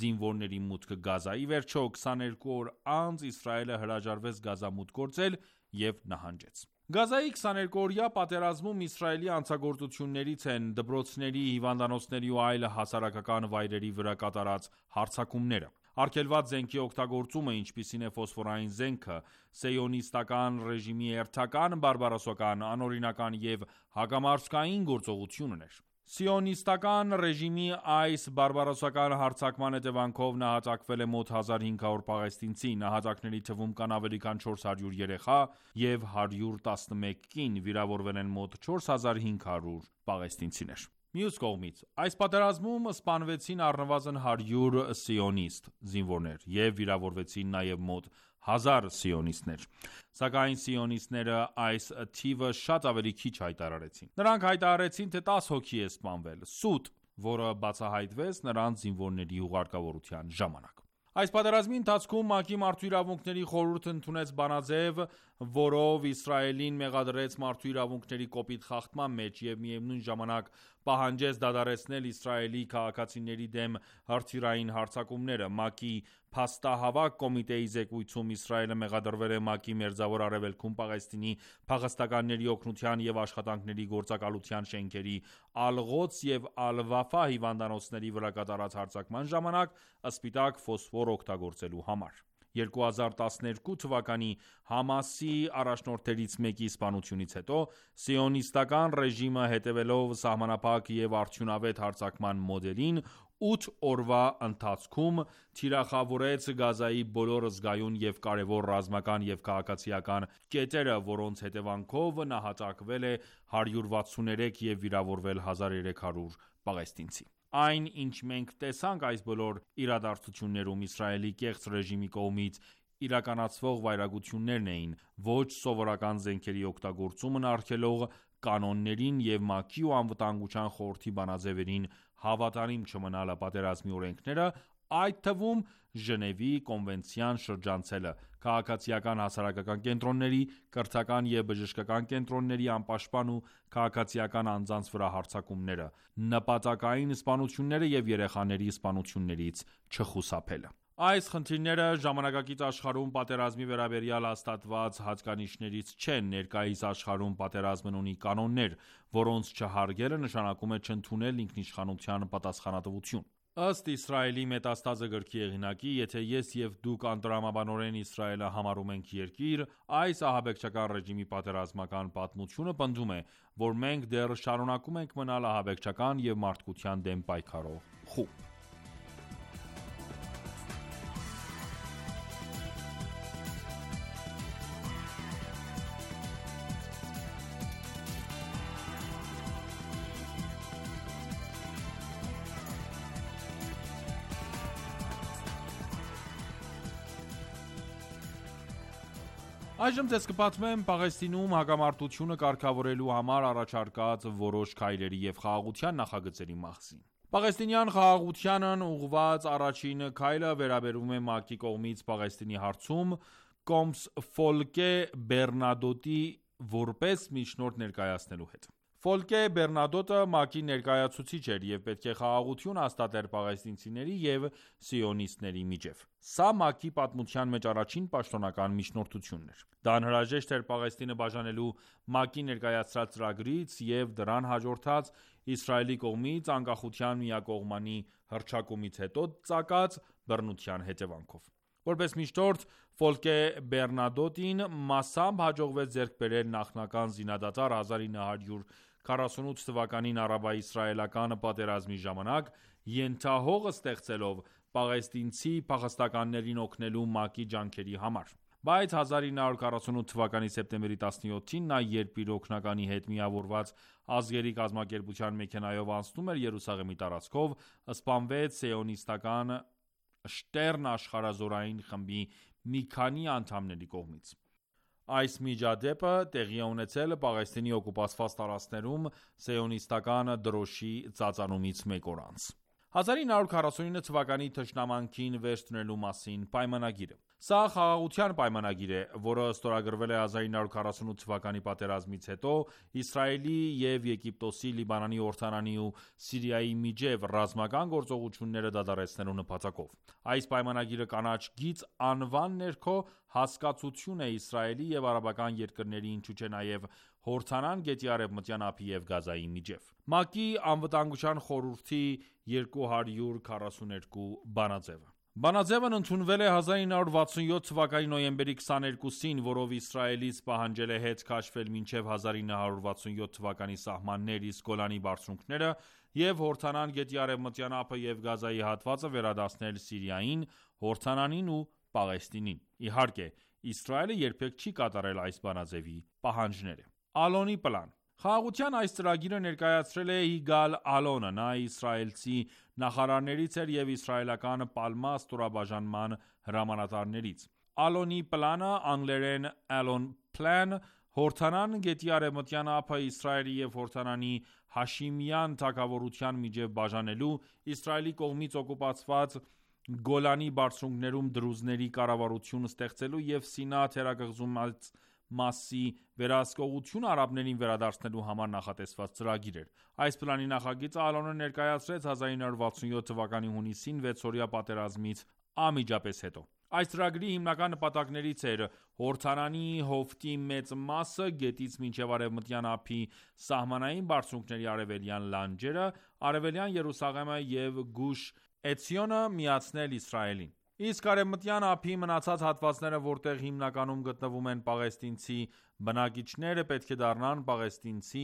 զինվորների մուտքը Գազա։ Ի վերջո, քսաներկու օր անց Իսրայելը հրաժարվեց Գազա մուտք գործել և նահանջեց։ Գազայի քսաներկուօրյա պատերազմում Իսրայելի հանցագործություններից են դպրոցների, հիվանդանոցների ու այլ հասարակական վայրերի վրա կատարած հարձակումները։ Արգելված զենքի օգտագործումը, ինչպիսին է ֆոսֆորային զենքը, սիոնիստական ռեժիմի հերթական բարբարոսական, անօրինական և հակամարդկային գործողությունն էր։ Սիոնիստական ռեժիմի այս բարբարոսական հարձակման հետևանքով նահատակվել է մոտ հազար հինգ հարյուր պաղեստինցի, նահատակների թվում կան ավելի քան չորս հարյուր երեխա և հարյուր տասնմեկ կին, վիրավորվել են մոտ չորս հազար հինգ հարյուր պաղեստինցիներ։ Մյուս կողմից, այս պատերազմում սպանվեցին առնվազն հարյուր սիոնիստ զինվորներ և վիրավորվեցին նաև մոտ հազար սիոնիստներ, սակայն սիոնիստները այս թիվը շատ ավելի քիչ հայտարարեցին։ Նրանք հայտարարեցին, թե տասը հոգի է սպանվել, սուտ, որը բացահայտվեց նրանց զինվորների հուղարկավորության ժամանակ։ Այս պատերազմի ընթացքում ՄԱԿ-ի Մարդու իրավունքների խորհուրդը ընդունեց բանաձև, որով Իսրայելին մեղադրեց մարդու իրավունքների կոպիտ խախտման մեջ և միևնույն ժամանակ պահանջեց դադարեցնել Իսրայելի քաղաքացիների դեմ հրթիռային հարձակումները։ ՄԱԿ-ի փաստահավաք կոմիտեի զեկույցում Իսրայելը մեղադրվել է ՄԱԿ-ի Մերձավոր Արևելքում Պաղեստինի փախստականների օգնության և աշխատանքների գործակալության շենքերի Ալ-Ղոդս և Ալ-Վաֆա հիվանդանոցների վրա կատարած հարձակման ժամանակ սպիտակ ֆոսֆոր օգտագործելու համար։ երկու հազար տասներկու թվականի Համասի առաջնորդներից մեկի սպանությունից հետո սիոնիստական ռեժիմը, հետևելով սահմանափակ և արդյունավետ հարձակման մոդելին, ութ օրվա ընթացքում թիրախավորեց Գազայի բոլոր զգայուն և կարևոր ռազմական և քաղաքացիական կետերը, որոնց հետևանքով նահատակվել է հարյուր վաթսուներեք և վիրավորվել հազար երեք հարյուր պաղեստինցի։ Այն, ինչ մենք տեսանք այս բոլոր իրադարձություններում, Իսրայելի կեղծ ռեժիմի կողմից իրականացվող վայրագություններն էին, ոչ սովորական զենքերի օգտագործումն արգելող կանոններին և ՄԱԿ-ի ու Անվտանգության խորհրդի բանաձևերին հավատարիմ չմնալը, պատերազմի օրենքները, այդ թվում Ժնևի կոնվենցիան շրջանցելը, քաղաքացիական հասարակական կենտրոնների, կրթական և բժշկական կենտրոնների անպաշտպան ու քաղաքացիական անձանց վրա հարձակումները, նպատակային սպանությունները և երեխաների սպանություններից չխուսափելը։ Այս խնդիրները ժամանակակից աշխարհում պատերազմի վերաբերյալ հաստատված հատկանիշներից չեն։ Ներկայիս աշխարհում պատերազմն ունի կանոններ, որոնց չհարգելը նշանակում է չընդունել ինքնիշխանության պատասխանատվություն։ Ըստ Իսրայելի Մետաստազը գրքի հեղինակի, եթե ես և դուք անտրամաբանորեն Իսրայելը համարում ենք երկիր, այս ահաբեկչական ռեժիմի պատերազմական պատմությունը պնդում է, որ մենք դեռ շարունակում ենք մնալ ահաբեկչական և մարդկության դեմ պայքարող խումբ։ Այժմ ձեզ կպատմեմ Պաղեստինում հակամարտությունը կարգավորելու համար առաջարկած որոշ քայլերի և խաղաղության նախագծերի մասին։ Պաղեստինյան խաղաղությանն ուղղված առաջին քայլը վերաբերում է ՄԱԿ-ի կողմից Պաղեստինի հարցում Կոմս Ֆոլկե Բեռնադոտի որպես միջնորդ ներկայացնելու հետ։ Ֆոլկե Բեռնադոտը ՄԱԿ-ի ներկայացուցիչ էր և պետք է խաղաղություն հաստատեր պաղեստինցիների և սիոնիստների միջև։ Սա ՄԱԿ-ի պատմության մեջ առաջին պաշտոնական միջնորդությունն էր։ Դա անհրաժեշտ էր Պաղեստինը բաժանելու ՄԱԿ-ի ներկայացրած ծրագրից և դրան հաջորդած Իսրայելի կողմից անկախության միակողմանի հռչակումից հետո ծագած բռնության հետևանքով։ Որպես միջնորդ, Ֆոլկե Բեռնադոտին մասամբ հաջողվեց ձեռք բերել նախնական զինադադար հազար ինը հարյուր քառասունութ թվականին արաբա-իսրայելական պատերազմի ժամանակ, ենթահող ստեղծելով, պաղեստինցի փախստականներին օգնելու ՄԱԿ-ի ջանքերի համար։ Բայց հազար ինը հարյուր քառասունութ թվականի սեպտեմբերի տասնյոթին նա, երբ իր օգնականի հետ միավորված ազգերի կազմակերպության մեքենայով անցնում էր Երուսաղեմի տարածքով, սպանվեց սիոնիստական Շտերն աշխարհազորային խմբի մի քանի անդամների կողմից։ Այս միջադեպը տեղի է ունեցել Պաղեստինի օկուպացված տարածքներում սիոնիստական դրոշի ծածանումից մեկ օր անց։ հազար ինը հարյուր քառասունինը թվականի թշնամանքին վերջ դնելու մասին պայմանագիրը։ Սա խաղաղության պայմանագիր է, որը ստորագրվել է հազար ինը հարյուր քառասունութ թվականի պատերազմից հետո Իսրայելի և Եգիպտոսի, Լիբանանի, Հորդանանի ու Սիրիայի միջև ռազմական գործողությունները դադարեցնելու նպատակով։ Այս պայմանագիրը կանաչ գիծ անվան ներքո հասկացություն է Իսրայելի և արաբական երկրների, ինչու չէ նաև Հորդանան գետի արևմտյան ափի և Գազայի միջև։ ՄԱԿ-ի Անվտանգության խորհրդի երկու հարյուր քառասուներկու բանաձևը Բանաձևն ընդունվել է հազար ինը հարյուր վաթսունյոթ թվականի նոյեմբերի քսաներկուսին, որով Իսրայելից պահանջել է հետ քաշվել մինչև հազար ինը հարյուր վաթսունյոթ թվականի սահմաններ, իսկ Գոլանի բարձունքները և Հորդանան գետի արևմտյան ափը և Գազայի հատվածը վերադարձնել Սիրիային, Հորդանանին ու Պաղեստինին։ Իհարկե, Իսրայելը երբեք չի կատարել այս բանաձևի պահանջները։ Ալոնի պլան Խաղաղության այս ծրագիրը ներկայացրել է Յիգալ Ալոնը։ Նա իսրայելցի նախարարներից էր և իսրայելական Պալմա ստորաբաժանման հրամանատարներից։ Ալոնի պլանը, անգլերեն Alon Plan, Հորդանան գետի արևմտյան ափը Իսրայելի և Հորդանանի Հաշիմյան թագավորության միջև բաժանելու, Իսրայելի կողմից օկուպացված Գոլանի բարձունքներում դրուզների կառավարություն ստեղծելու և Սինա թերակղզուց մասի վերահսկողությունը արաբներին վերադարձնելու համար նախատեսված ծրագիր էր։ Այս պլանի նախագիծը Ալոնը ներկայացրեց հազար ինը հարյուր վաթսունյոթ թվականի հունիսին վեցօրյա պատերազմից անմիջապես հետո։ Այս ծրագրի հիմնական նպատակներից էր Հորդանանի հովտի մեծ մասը, գետից մինչև Արևմտյան ափի սահմանային բարձունքների արևելյան լանջերը, Արևելյան Երուսաղեմը և Գուշ Էցիոնը միացնել Իսրայելին։ Իսկ Արևմտյան ափի մնացած հատվածները, որտեղ հիմնականում գտնվում են պաղեստինցի բնակիչները, պետք է դառնան պաղեստինցի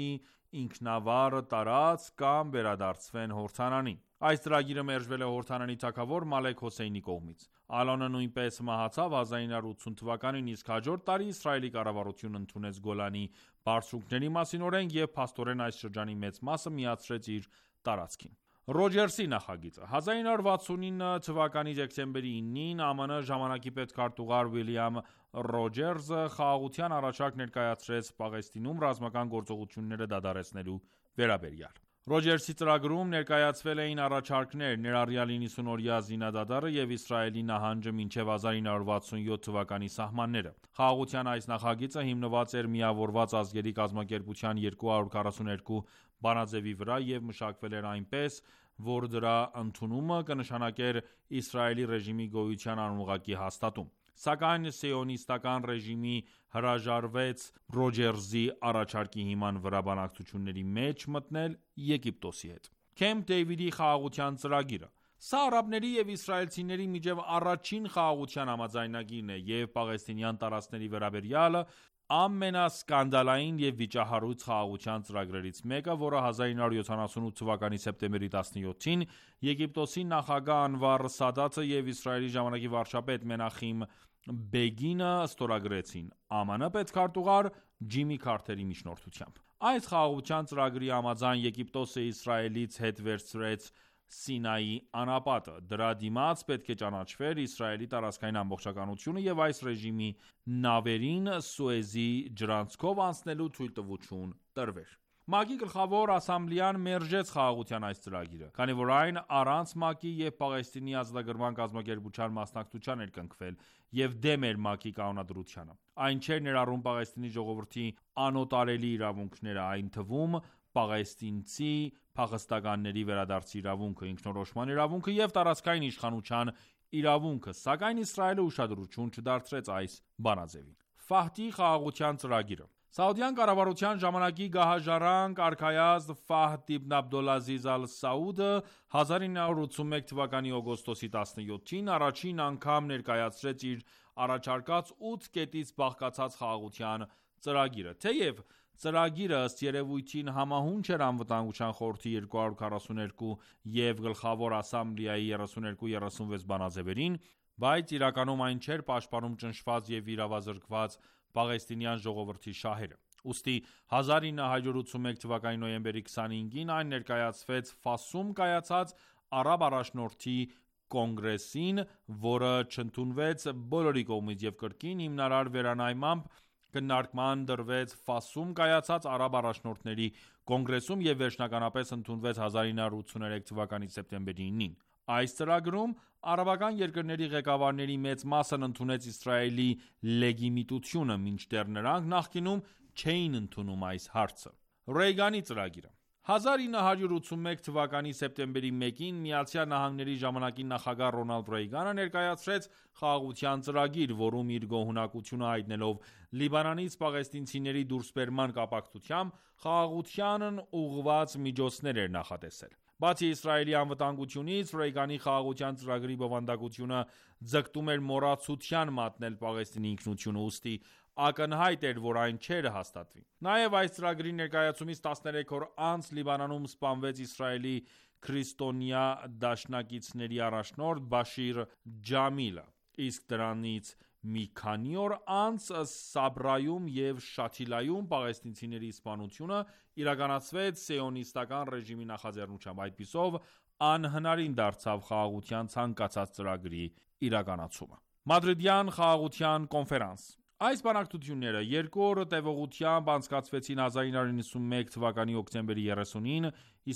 ինքնավար տարածք կամ վերադարձվեն Հորդանանին։ Այս ծրագիրը մերժվել է Հորդանանի թագավոր Մալեք Հոսեյնի կողմից։ Ալոնը նույնպես մահացավ հազար ինը հարյուր ութսուն թվականին, իսկ հաջորդ տարի Իսրայելի կառավարությունն ընդունեց Գոլանի բարձունքների մասին օրենք և փաստորեն այս շրջանի մեծ մասը միացրեց իր տարածքին։ Ռոջերսի նախագիծը հազար ինը հարյուր վաթսունինը թվականի դեկտեմբերի ինին ԱՄՆ ժամանակի պետքարտուղար Ուիլյամ Ռոջերսը խաղաղության առաջարկ ներկայացրեց Պաղեստինում ռազմական գործողությունները դադարեցնելու վերաբերյալ։ Ռոջերսի ծրագրում ներկայացվել էին առաջարկներ, ներառյալ իննսունօրյա զինադադարը և Իսրայելի նահանջը մինչև հազար ինը հարյուր վաթսունյոթ թվականի սահմանները։ Խաղաղության այս նախագիծը հիմնված էր Միավորված ազգերի կազմակերպության երկու հարյուր քառասուներկու բանաձևի վրա և մշակվել էր այնպես, որ դրա ընդունումը կնշանակեր Իսրայելի ռեժիմի գոյության անուղղակի հաստատում։ Սակայն սիոնիստական ռեժիմի հրաժարվեց Ռոջերսի առաջարկի հիման վրա բանակցությունների մեջ մտնել Եգիպտոսի հետ։ Քեմփ Դեյվիդի խաղաղության ծրագիրը Սա արաբների և իսրայելցիների միջև առաջին խաղաղության համաձայնագիրն է և պաղեստինյան տարածքների վերաբերյալ ամենասկանդալային և վիճահարույց խաղաղության ծրագրերից մեկը, որը հազար ինը հարյուր յոթանասունութ թվականի սեպտեմբերի տասնյոթին Եգիպտոսի նախագահ Անվար Սադաթը և Իսրայելի ժամանակի վարչապետ Մենախեմ Բեգինը ստորագրեցին ԱՄՆ պետքարտուղար Ջիմի Քարթերի միջնորդությամբ։ Այս խաղաղության ծրագրի համաձայն Եգիպտոսը Իսրայելից հետ վերցրեց Սինայի անապատը։ Դրա դիմաց պետք է ճանաչվեր Իսրայելի տարածքային ամբողջականությունը և այս ռեժիմի նավերին Սուեզի ջրանցքով անցնելու թույլտվություն տրվեր։ ՄԱԿ-ի գլխավոր ասամբլեան մերժեց խաղաղության այս ծրագիրը, քանի որ այն առանց ՄԱԿ-ի և Պաղեստինի ազատագրման կազմակերպության մասնակցության էր կնքվել և դեմ էր ՄԱԿ-ի կանոնադրությանը։ Այն չէր ներառում Պաղեստինի ժողովրդի անօտարելի իրավունքները, այն թվում պաղեստինցի փախստականների վերադարձի իրավունքը, ինքնորոշման իրավունքը և տարածքային իշխանության իրավունքը, սակայն Իսրայելը ուշադրություն չդարձրեց այս բանաձևին։ Ֆահդի խաղաղության ծրագիրը Սաուդյան կառավարության ժամանակի գահաժառանգ արքայազն Ֆահդ իբն Աբդոլազիզ Ալ-Սաուդը հազար ինը հարյուր ութսունմեկ թվականի օգոստոսի տասնյոթին առաջին անգամ ներկայացրեց իր առաջարկած ութ կետից բաղկացած խաղաղության ծրագիրը։ Թեև Ծրագիրը ըստ երևույթին համահունչ էր Անվտանգության խորհրդի երկու հարյուր քառասունութ և Գլխավոր ասամբլեայի երեսունհինգ երեսունվեց բանաձևերին, բայց իրականում այն չէր պաշտպանում ճնշված և վիրավորված պաղեստինյան ժողովրդի շահերը: Ուստի հազար ինը հարյուր ութսունմեկ թվականի նոյեմբերի քսանհինգին այն ներկայացվեց Ֆասում կայացած Արաբ առաջնորդի կոնգրեսին, որը չընդունվեց բոլորի կողմից և կրկին հիմնարար վերանայմամբ քննարկման դրվեց Ֆասում կայացած արաբ առաջնորդների կոնգրեսում և վերջնականապես ընդունվեց հազար ինը հարյուր ութսուներեք թվականի սեպտեմբերի ինին: Այս ծրագրում արաբական երկրների ղեկավարների մեծ մասն ընդունեց Իսրայելի լեգիտիմությունը, մինչդեռ նրանք նախկինում չէին ընդունում այս հարցը: Ռեյգանի ծրագիրը հազար ինը հարյուր ութսունմեկ թվականի սեպտեմբերի մեկին ԱՄՆ-ի ժամանակի նախագահ Ռոնալդ Ռեյգանը ներկայացրեց խաղաղության ծրագիր, որում իր գոհունակությունը հայտնելով Լիբանանից պաղեստինցիների դուրսբերման կապակցությամբ խաղաղությանն ուղղված միջոցներ էր նախատեսել: Բացի Իսրայելի անվտանգությունից, Ռեյգանի խաղաղության ծրագրի բովանդակությունը ձգտում էր մոռացության մատնել Պաղեստինի ինքնությունը, ուստի ակնհայտ էր, որ այն չէր հաստատվի: Նաև այս ծրագրի ներկայացումից տասներեք օր անց Լիբանանում սպանվեց Իսրայելի քրիստոնյա դաշնակիցների առաջնորդ Բաշիր Ջամիլը, իսկ դրանից մի քանի օր անց Սաբրայում և Շաթիլայում պաղեստինցիների սպանությունը իրականացվեց Սիոնիստական ռեժիմի նախաձեռնությամբ: Այդպիսով անհնարին դարձավ խաղաղության ցանկացած ծրագրի իրականացումը: Մադրիդյան խաղաղության կոնֆերանս Այս բանակցությունները երկու օր տևողությամբ անցկացվեցին հազար ինը հարյուր նվաթ թվականի հոկտեմբերի երեսունին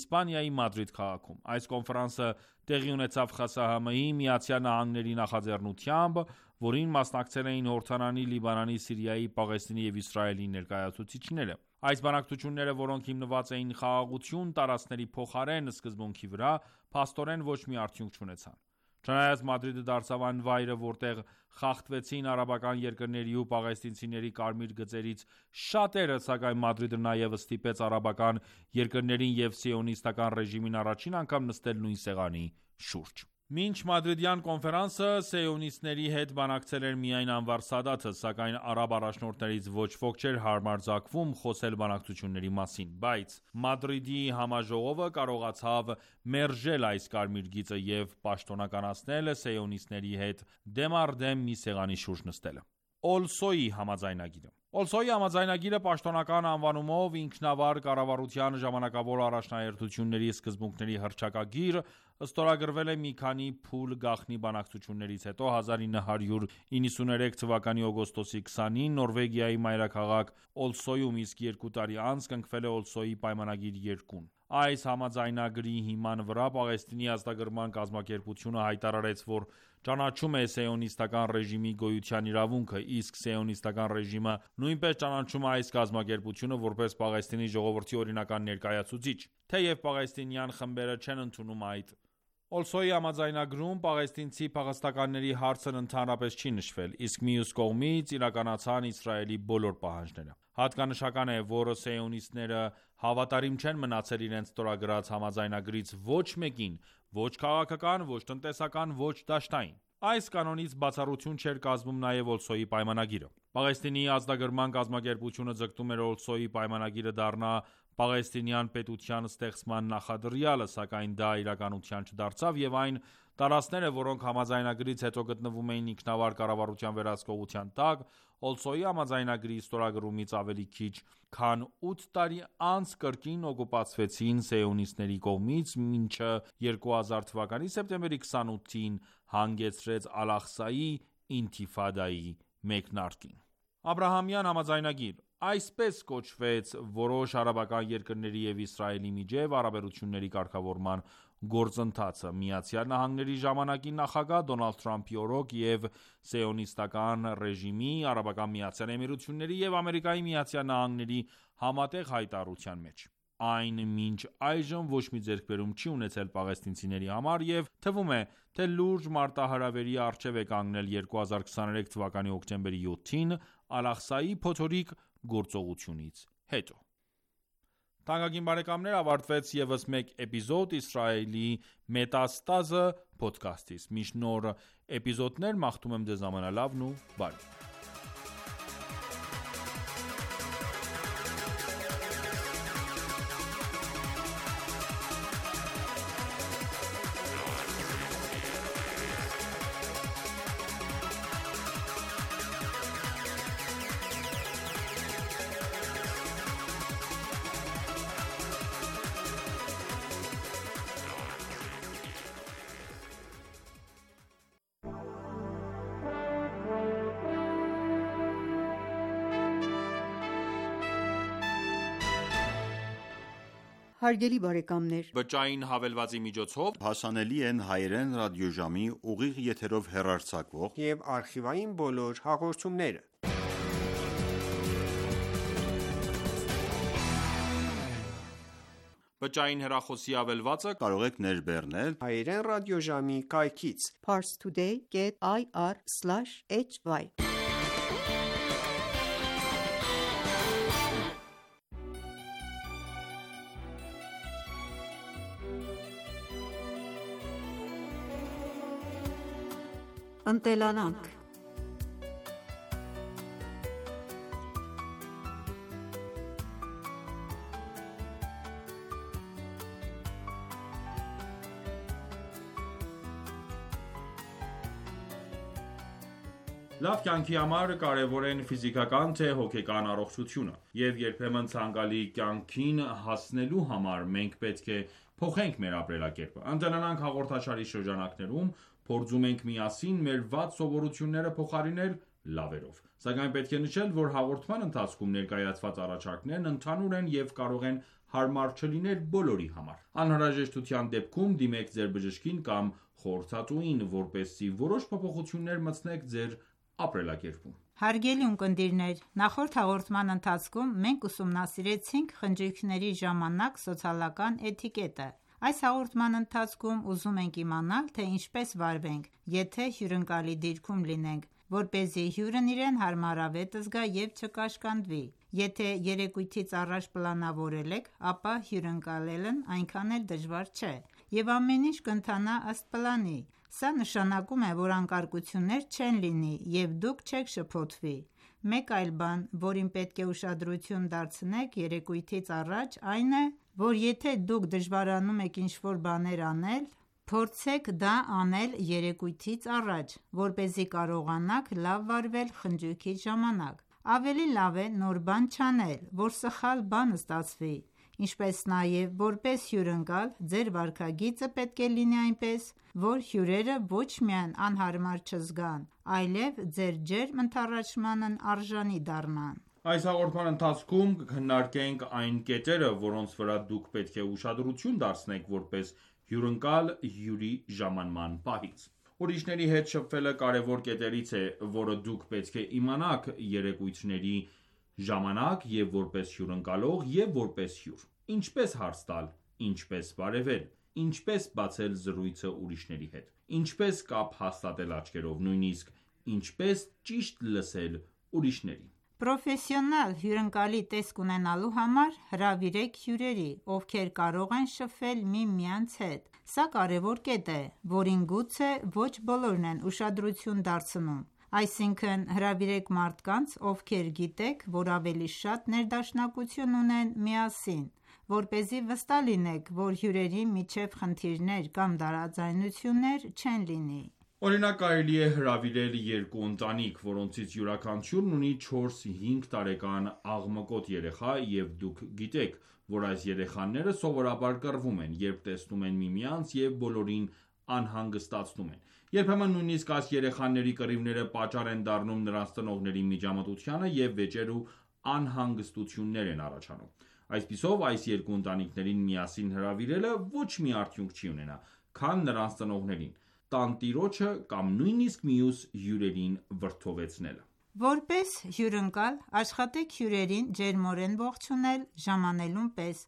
Իսպանիայի Մադրիդ քաղաքում: Այս կոնֆերանսը տեղի ունեցավ ԽՍՀՄ-ի, ԱՄՆ-ի նախաձեռնությամբ, որին մասնակցել էին Հորդանանի, Լիբանանի, Սիրիայի, Պաղեստինի և Իսրայելի ներկայացուցիչները: Այս բանակցությունները, որոնք հիմնված էին խաղաղություն տարածքների փոխարեն սկզբունքի վրա, փաստորեն ոչ մի արդյունք չունեցան: Չնայած Մադրիդը դարձավ այն վայրը, որտեղ խախտվեցին արաբական երկրների ու պաղեստինցիների կարմիր գծերից շատերը, սակայն Մադրիդը նաև ստիպեց արաբական երկրներին և Սիոնիստական ռեժիմին առաջին անգամ նստել նույն սեղանի շուրջ: Մինչ Մադրիդյան կոնֆերանսը սիոնիստների հետ բանակցել էր միայն Անվար Սադաթը, սակայն արաբ առաջնորդներից ոչ ոք չէր համարձակվում խոսել բանակցությունների մասին: Բայց Մադրիդի համաժողովը կարողացավ մերժել այս կարմիր գիծը և պաշտոնականացնել սիոնիստների հետ դեմ առ դեմ մի սեղանի շուրջ նստելը: Օլսոյի համաձայնագիրը Օլսոյի համաձայնագիրը պաշտոնական անվանումով Ինքնավար կառավարության ժամանակավոր առաջնահերթությունների սկզբունքների հռչակագիր, ստորագրվել է մի քանի փուլ գաղտնի բանակցություններից հետո հազար ինը հարյուր նվաթ թվականի օգոստոսի քսանին Նորվեգիայի մայրաքաղաք Օլսոյում, իսկ երկու տարի անց կնքվել է Օլսոյի պայմանագիր երկուն: Այս համաձայնագրի հիման վրա Պաղեստինի ազատագրման կազմակերպությունը հայտարարեց, որ ճանաչում է Սիոնիստական ռեժիմի գոյության իրավունքը, իսկ Սիոնիստական ռեժիմը նույնպես ճանաչում է այս կազմակերպությունը, որպես Պաղեստինի ժողովրդի օրինական ներկայացուցիչ, թեև պաղեստինյան խմբերը չեն ընդունում այդ: Օլսոյի համաձայնագրում պաղեստինցի փախստականների հարցն ընդհանրապես չի նշվել, իսկ մյուս կողմից իրականացան Իսրայելի բոլոր պահանջները: Հատկանշական է, որ սիոնիստները հավատարիմ չեն մնացել իրենց ստորագրած համաձայնագրից ոչ մեկին, ոչ քաղաքական, ոչ տնտեսական, ոչ դաշտային: Այս կանոնից բացառություն չէր կազմում նաև Օլսոյի պայմանագիրը: Պաղեստինի ազատագրման կազմակերպությունը ձգտում էր Օլսոյի պայմանագիրը դառնա պաղեստինյան պետության ստեղծման նախադրյալը, սակայն դա իրականության չդարձավ և այն տարածքները, որոնք համաձայնագրից հետո գտնվում էին ինքնավար կառավարության վերահսկողության տակ, Օլսոյի համաձայնագրի ստորագրումից ավելի քիչ քան ութ տարի անց կրկին օկուպացվեցին սիոնիստների կողմից, ինչը երկու հազար թվականի սեպտեմբերի քսանութին հանգեցրեց Ալ-Աղսայի ինթիֆադայի մեկնարկին: Աբրահամյան համաձայնագիր Այսպես կոչվեց որոշ արաբական երկրների և Իսրայելի միջև հարաբերությունների կարգավորման գործընթացը ԱՄՆ-ի ժամանակի նախագահ Դոնալդ Թրամփի օրոք և Սիոնիստական ռեժիմի, Արաբական Միացյալ Էմիրությունների և Ամերիկայի Միացյալ Նահանգների համատեղ հայտարարության մեջ: Այն մինչ այժմ ոչ մի ձեռքբերում չի ունեցել պաղեստինցիների համար և թվում է, թե լուրջ մարտահրավերի առջև է կանգնել երկու հազար քսաներեք թվականի հոկտեմբերի յոթին Ալ-Աղսայի փոթորիկ գործողությունից հետո: Ավարտվեց ևս մեկ էպիզոդ «Իսրայելի մետաստազը» փոդքասթից: Մինչ նոր էպիզոդներ մաղթում եմ ձեզ ամենալավն ու բարիք: Հարգելի բարեկամներ, Բջջային հավելվածի միջոցով հասանելի են հայերեն ռադիոժամի ուղիղ եթերով հեռարձակվող և արխիվային բոլոր հաղորդումները։ Բջջային հեռախոսի ավելվածը կարող եք ներբեռնել հայերեն ռադիոժամի կայքից parstoday dot i r slash h y Ընտելանանք Լավ կյանքի համար կարևոր են ֆիզիկական թե հոգեկան առողջությունը, և երբեմն ցանկալի կյանքին հասնելու համար մենք պետք է փոխենք մեր ապրելակերպը։ «Ընտելանանք» հաղորդաշարի շրջանակներում փորձում ենք միասին մեր վատ սովորությունները փոխարինել լավերով։ Սակայն պետք է նշել, որ հաղորդման ընթացքում ներկայացված առաջարկներն ընդհանուր են և կարող են հարմար չլինել բոլորի համար։ Անհրաժեշտության դեպքում դիմեք ձեր բժշկին կամ խորհրդատուին, որպեսզի որոշ փոփոխություններ մտցնեք ձեր ապրելակերպում։ Հարգելի ունկնդիրներ, նախորդ հաղորդման ընթացքում մենք ուսումնասիրեցինք խնջույքների ժամանակ սոցիալական էթիկետը։ Այս հաղորդման ընթացքում ուզում ենք իմանալ, թե ինչպես վարվենք, եթե հյուրընկալի դիրքում լինենք, որպեսզի հյուրն իրեն հարմարավետ զգա և չկաշկանդվի։ Եթե երեկույթից առաջ պլանավորել եք, ապա հյուրընկալելն այնքան էլ դժվար չէ, և ամեն ինչ կընթանա ըստ պլանի։ Սա նշանակում է, որ անկարգություններ չեն լինի, և դուք չեք շփոթվի։ Մեկ այլ բան, որին պետք է ուշադրություն դարձնեք երեկույթից առաջ, այն է, որ եթե դուք դժվարանում եք ինչ-որ բաներ անել, փորձեք դա անել երեկույթից առաջ, որպեսզի կարողանաք լավ վարվել խնջույքի ժամանակ։ Ավելի լավ է նոր բան չանել, որ սխալ բան ստացվի։ Ինչպես նաև, որպես հյուրընկալ, ձեր վարքագիծը պետք է լինի այնպես, որ հյուրերը ոչ միայն անհարմար չզգան, այլև ձեր ջերմ ընդառաջմանն արժանի դառնան։ Այս հաղորդման ընթացքում կքննարկենք այն կետերը, որոնց վրա դուք պետք է ուշադրություն դարձնեք որպես հյուրընկալ հյուրի ժամանման պահից։ Ուրիշների հետ շփվելը կարևոր կետերից է, որը դուք պետք է իմանաք երեկույթների ժամանակ և որպես հյուրընկալող, և որպես հյուր։ Ինչպես հարց տալ, ինչպես բարևել, ինչպես բացել զրույցը ուրիշների հետ, ինչպես կապ հաստատել աչքերով, նույնիսկ ինչպես ճիշտ լսել ուրիշներին։ Պրոֆեսիոնալ հյուրընկալի տեսք ունենալու համար հրավիրեք հյուրերի, ովքեր կարող են շփվել միմյանց հետ։ Սա կարևոր կետ է, որին գուցե ոչ բոլորն են ուշադրություն դարձնում։ Այսինքն հրավիրեք մարդկանց, ովքեր գիտեք, որ ավելի շատ ներդաշնակություն ունեն միասին, որպեսզի վստահ լինեք, որ հյուրերի միջև խնդիրներ կամ տարաձայնություններ չեն լինի։ Օրինակ, կարելի է հրավիրել երկու ընտանիք, որոնցից յուրաքանչյուրն ունի չորս-հինգ տարեկան աղմկոտ երեխա, և դուք գիտեք, որ այս երեխաները սովորաբար կռվում են, երբ տեսնում են միմյանց և բոլորին անհանգստացնում են։ Երբեմն նույնիսկ այս երեխաների կռիվները պատճառ են դառնում նրանց ծնողների միջամտությանը և վեճեր ու անհանգստություններ են առաջանում։ Այսպիսով, այս երկու ընտանիքներին միասին հրավիրելը ոչ մի արդյունք չի ունենա, քան նրանց ծնողներին, տանտիրոջը կամ նույնիսկ մյուս հյուրերին վրդովեցնելը։ Որպես հյուրընկալ, աշխատեք հյուրերին ջերմորեն ողջունել ժամանելուն պես։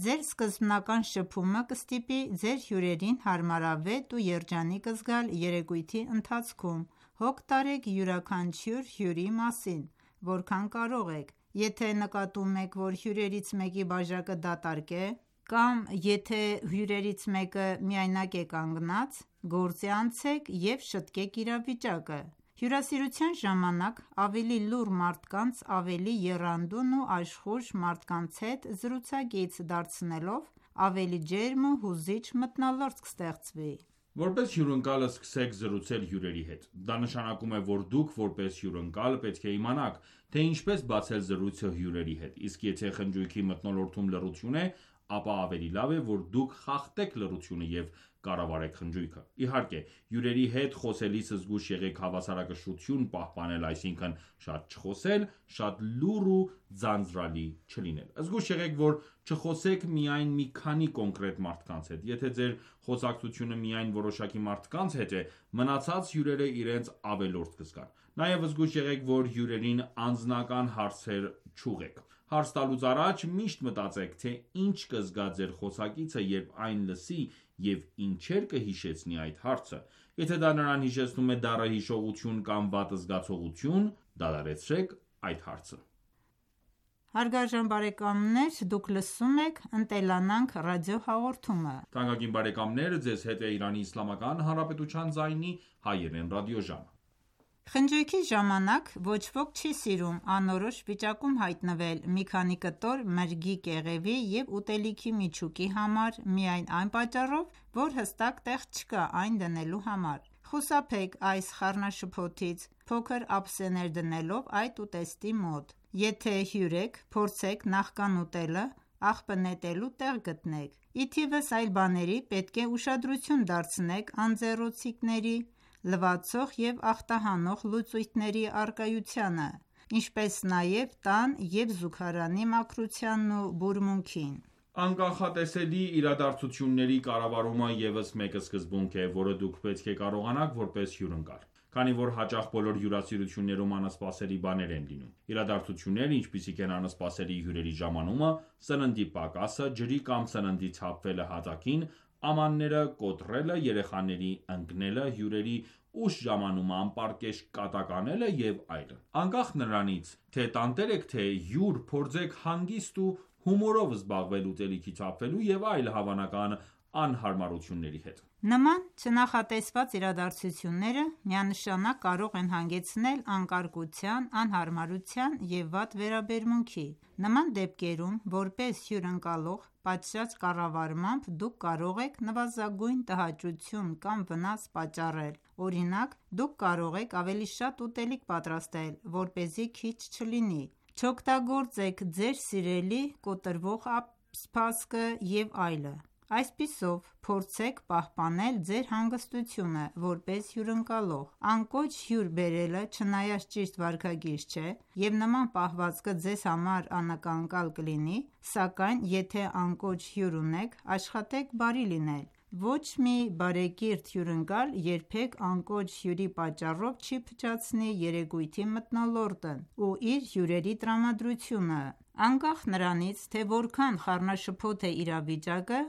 Ձեր սկզբնական շփումը կստիպի ձեր հյուրերին հարմարավետ ու երջանիկ զգալ երեկույթի ընթացքում։ Հոգ տարեք յուրաքանչյուր հյուրի մասին, որքան կարող եք։ Եթե նկատում եք, որ հյուրերից մեկի բաժակը դատարկ է, կամ եթե հյուրերից մեկը միայնակ է կանգնած, գործի անցեք և շտկեք իրավիճակը։ Հյուրասիրության ժամանակ ավելի լուռ մարդկանց ավելի եռանդուն ու աշխույժ մարդկանց հետ զրուցակից դարձնելով ավելի ջերմ ու հուզիչ մթնոլորտ կստեղծվի։ Որպես հյուրընկալ սկսեք զրուցել հյուրերի հետ։ Դա նշանակում է, որ դուք որպես հյուրընկալ պետք է իմանաք, թե ինչպես բացել զրույցը հյուրերի հետ, իսկ եթե խնջույքի մթնոլորտում լռություն է, ապա ավելի լավ է, որ դուք խախտեք լռությունը և կառավարեք խնջույքը: Իհարկե, հյուրերի հետ խոսելիս զգույշ եղեք հավասարակշռություն պահպանել, այսինքն՝ շատ չխոսել, շատ լուռ ու ձանձրալի չլինել: Զգույշ եղեք, որ չխոսեք միայն մի քանի կոնկրետ մարդկանց հետ: Եթե ձեր խոսակցությունը միայն որոշակի մարդկանց հետ է, մնացած հյուրերը իրենց ավելորդ կզգան: Նաև զգույշ եղեք, որ հյուրերին անձնական հարցեր չուղղեք: Հարց տալուց առաջ միշտ մտածեք, թե ինչ կզգա ձեր խոսակիցը, երբ այն լսի և ինչեր կհիշեցնի այդ հարցը: Եթե դա նրան հիշեցնում է դառը հիշողություն կամ վատ զգացողություն, դադարեցրեք այդ հարցը: Հարգարժան բարեկամներ դուք լսում եք «Ընտելանանք» ռադիոհաղորդումը: Թանկագին բարեկամներ Ձեզ հետ է Իրանի Իսլամական Հանրապետության ձայնի հայերեն ռադիոժամը: Խնջույքի ժամանակ ոչ ոք չի սիրում անորոշ վիճակում հայտնվել մի քանի կտոր մրգի կեղևի և ուտելիքի միջուկի համար միայն այն պատճառով, որ հստակ տեղ չկա այն դնելու համար: Խուսափեք այս խառնաշփոթից՝ փոքր ափսեներ դնելով այդ ուտեստի մոտ: Եթե հյուր եք, փորձեք նախքան ուտելը աղբը նետելու տեղ գտնեք: Ի թիվս այլ բաների պետք է ուշադրություն դարձնեք անձեռոցիկների, լվացող և ախտահանող լուծույթների առկայությանը, ինչպես նաև տան և զուգարանի մաքրությանն ու բուրմունքին: Անկանխատեսելի իրադարձությունների կառավարումը ևս մեկ սկզբունք է, որը դուք պետք է կարողանաք որպես հյուրընկալ: Քանի որ հաճախ բոլոր հյուրասիրություններում անսպասելի բաներ են լինում: Իրադարձություններ, ինչպիսիք են անսպասելի հյուրերի ժամանումը, սննդի պակասը, ջրի կամ սննդի թափվելը հատակին, ամանները կոտրելը, երեխաների ընկնելը, հյուրերի ուշ ժամանումը, անպարկեշտ կատակ անելը և այլն: Անկախ նրանից, թե տանտեր եք թե հյուր, փորձեք հանգիստ ու հումորով զբաղվել ուտելիքի թափվելու և այլ հավանական անհարմարությունների հետ: Նման չնախատեսված իրադարձությունները միանշանակ կարող են հանգեցնել անկարգության, անհարմարության և վատ վերաբերմունքի: Նման դեպքերում, որպես հյուրընկալող, պատշաճ կառավարմամբ դուք կարող եք նվազագույն տհաճություն կամ վնաս պատճառել: Օրինակ, դուք կարող եք ավելի շատ ուտելիք պատրաստել, որպեսզի քիչ չլինի: Չօգտագործեք ձեր սիրելի կոտրվող սպասքը և այլն: Այսպիսով, փորձեք պահպանել ձեր հանգստությունը որպես հյուրընկալող: Անկոչ հյուր բերելը չնայած ճիշտ վարքագիծ չէ և նման պահվածքը ձեզ համար անակնկալ կլինի, սակայն եթե անկոչ հյուր ունեք, աշխատեք բարի լինել: Ոչ մի բարեկիրթ հյուրընկալ երբեք անկոչ հյուրի պատճառով չի փչացնի երեկույթի մթնոլորտն ու իր հյուրերի տրամադրությունը: Անկախ նրանից, թե որքան խառնաշփոթ է իրավիճակը,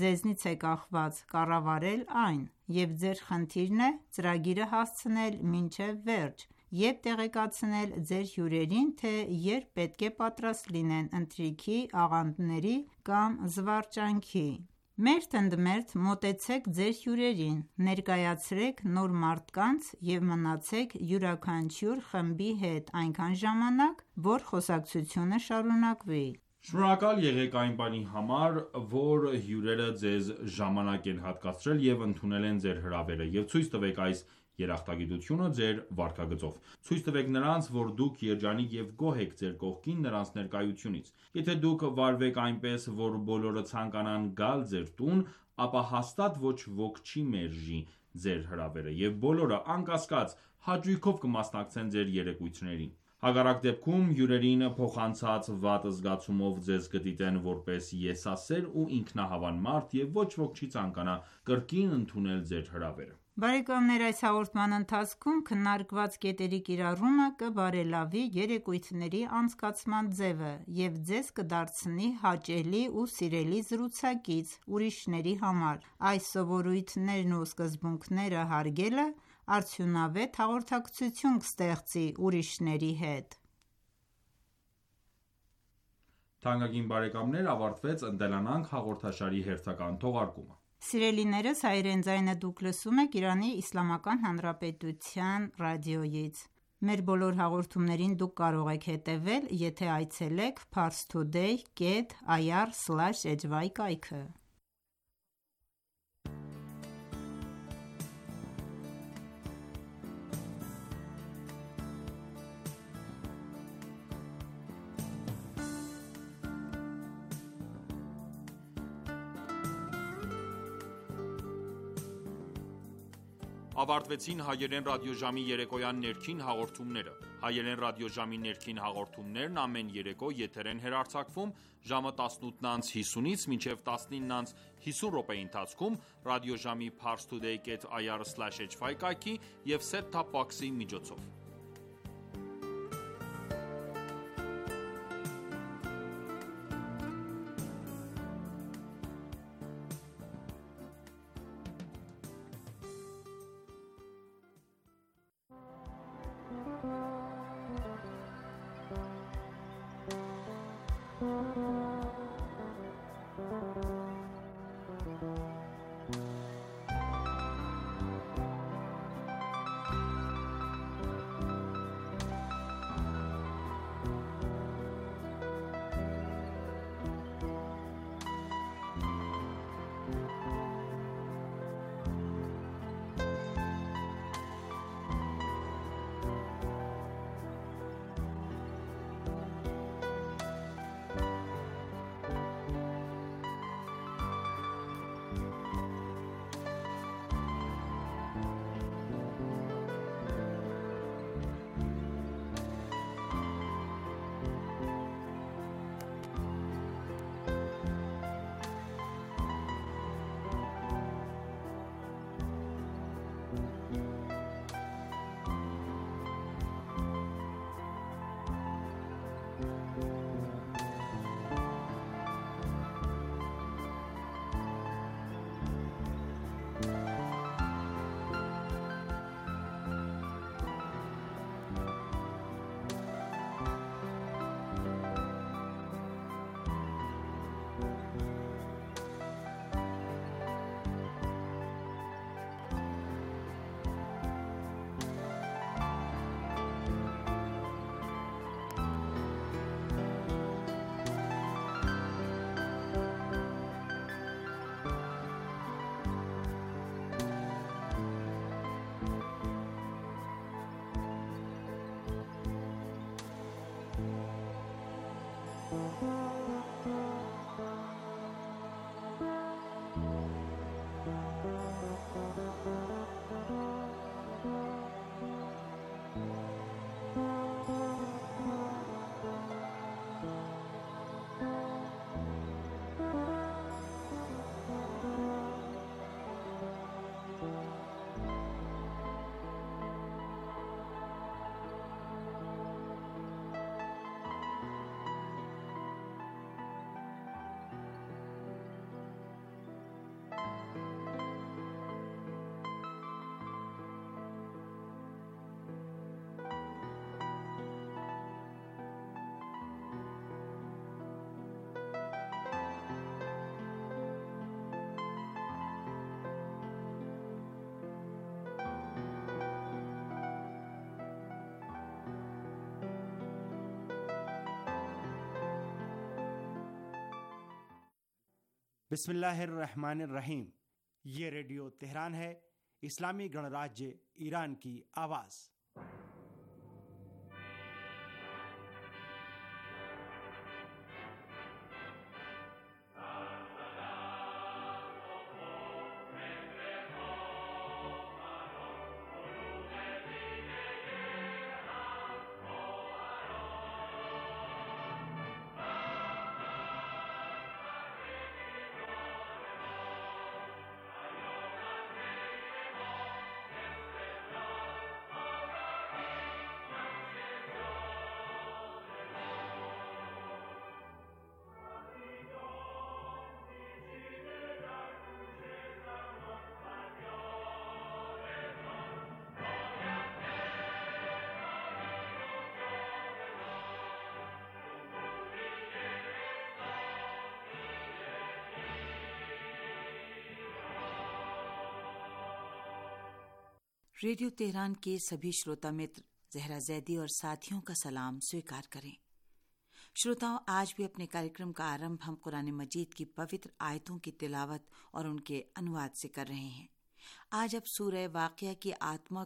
ձեզնից է կախված կառավարել այն և ձեր խնդիրն է ծրագիրը հասցնել մինչև վերջ և տեղեկացնել ձեր հյուրերին, թե երբ պետք է պատրաստ լինեն ընթրիքի, աղանդերի կամ զվարճանքի: Մերթ ընդ մերթ մոտեցեք ձեր հյուրերին, ներկայացրեք նոր մարդկանց և մնացեք յուրաքանչյուր խմբի հետ այնքան ժամանակ, որ խոսակցությունը շարունակվի: Շնորհակալ եղեք այն բանի համար, որ հյուրերը ձեզ ժամանակ են հատկացրել և ընդունել են ձեր հրավերը և ցույց տվեք այս երախտագիտությունը ձեր վարքագծով: Ցույց տվեք նրանց, որ դուք երջանիկ և գոհ եք ձեր կողքին նրանց ներկայությունից: Եթե դուք վարվեք այնպես, որ բոլորը ցանկանան գալ ձեր տուն, ապա հաստատ ոչ ոք չի մերժի ձեր հրավերը և բոլորը, անկասկած, հաճույքով կմասնակցեն ձեր երեկույթներին: Հակառակ դեպքում, հյուրերին փոխանցած վատ զգացումով ձեզ կդիտեն որպես եսասեր ու ինքնահավան մարդ և ոչ ոք չի ցանկանա կրկին ընդունել ձեր հրավերը: Այս հաղորդման ընթացքում քննարկված կետերի կիրառումը կբարելավի երեկույթների անցկացման ձևը և ձեզ կդարձնի հաճելի ու սիրելի զրուցակից ուրիշների համար: Այս սովորույթներն ու սկզբունքները հարգելը արդյունավետ հաղորդակցություն կստեղծի ուրիշների հետ: Թանկագին բարեկամներ ավարտվեց «Ընտելանանք» հաղորդաշարի հերթական թողարկումը: Սիրելիներս հայրեն ձայնը դուք լսում եք Իրանի Իսլամական Հանրապետության ռադիոյից: Մեր բոլոր հաղորդումներին դուք կարող եք հետևել, եթե այցելեք parstoday կետ ir slash hy կայքը: ավարտվեցին հայերեն ռադիոժամի երեկոյան ներքին հաղորդումները։ Հայերեն ռադիոժամի ներքին հաղորդումներն ամեն երեկո եթեր են հեռարձակվում ժամը տասնութ անց հիսունից մինչև տասնինը անց հիսուն րոպեի ընթացքում ռադիոժամի parstoday dot i r slash h five կայքի և set-top box-ի միջոցով։ बिस्मिल्लाहिर्रहमानिर्रहीम। ये radio Tehran है, इस्लामी गणराज्य ईरान की आवाज़। Radio Tehran के सभी श्रोता मित्र जहरा जैदी और साथियों का सलाम स्वीकार करें। श्रोताओं, आज भी अपने कार्यक्रम का आरंभ हम कुरान मजीद की पवित्र आयतों की तिलावत और उनके अनुवाद से कर रहे हैं। आज अब सूरह वाक़िया की आत्मा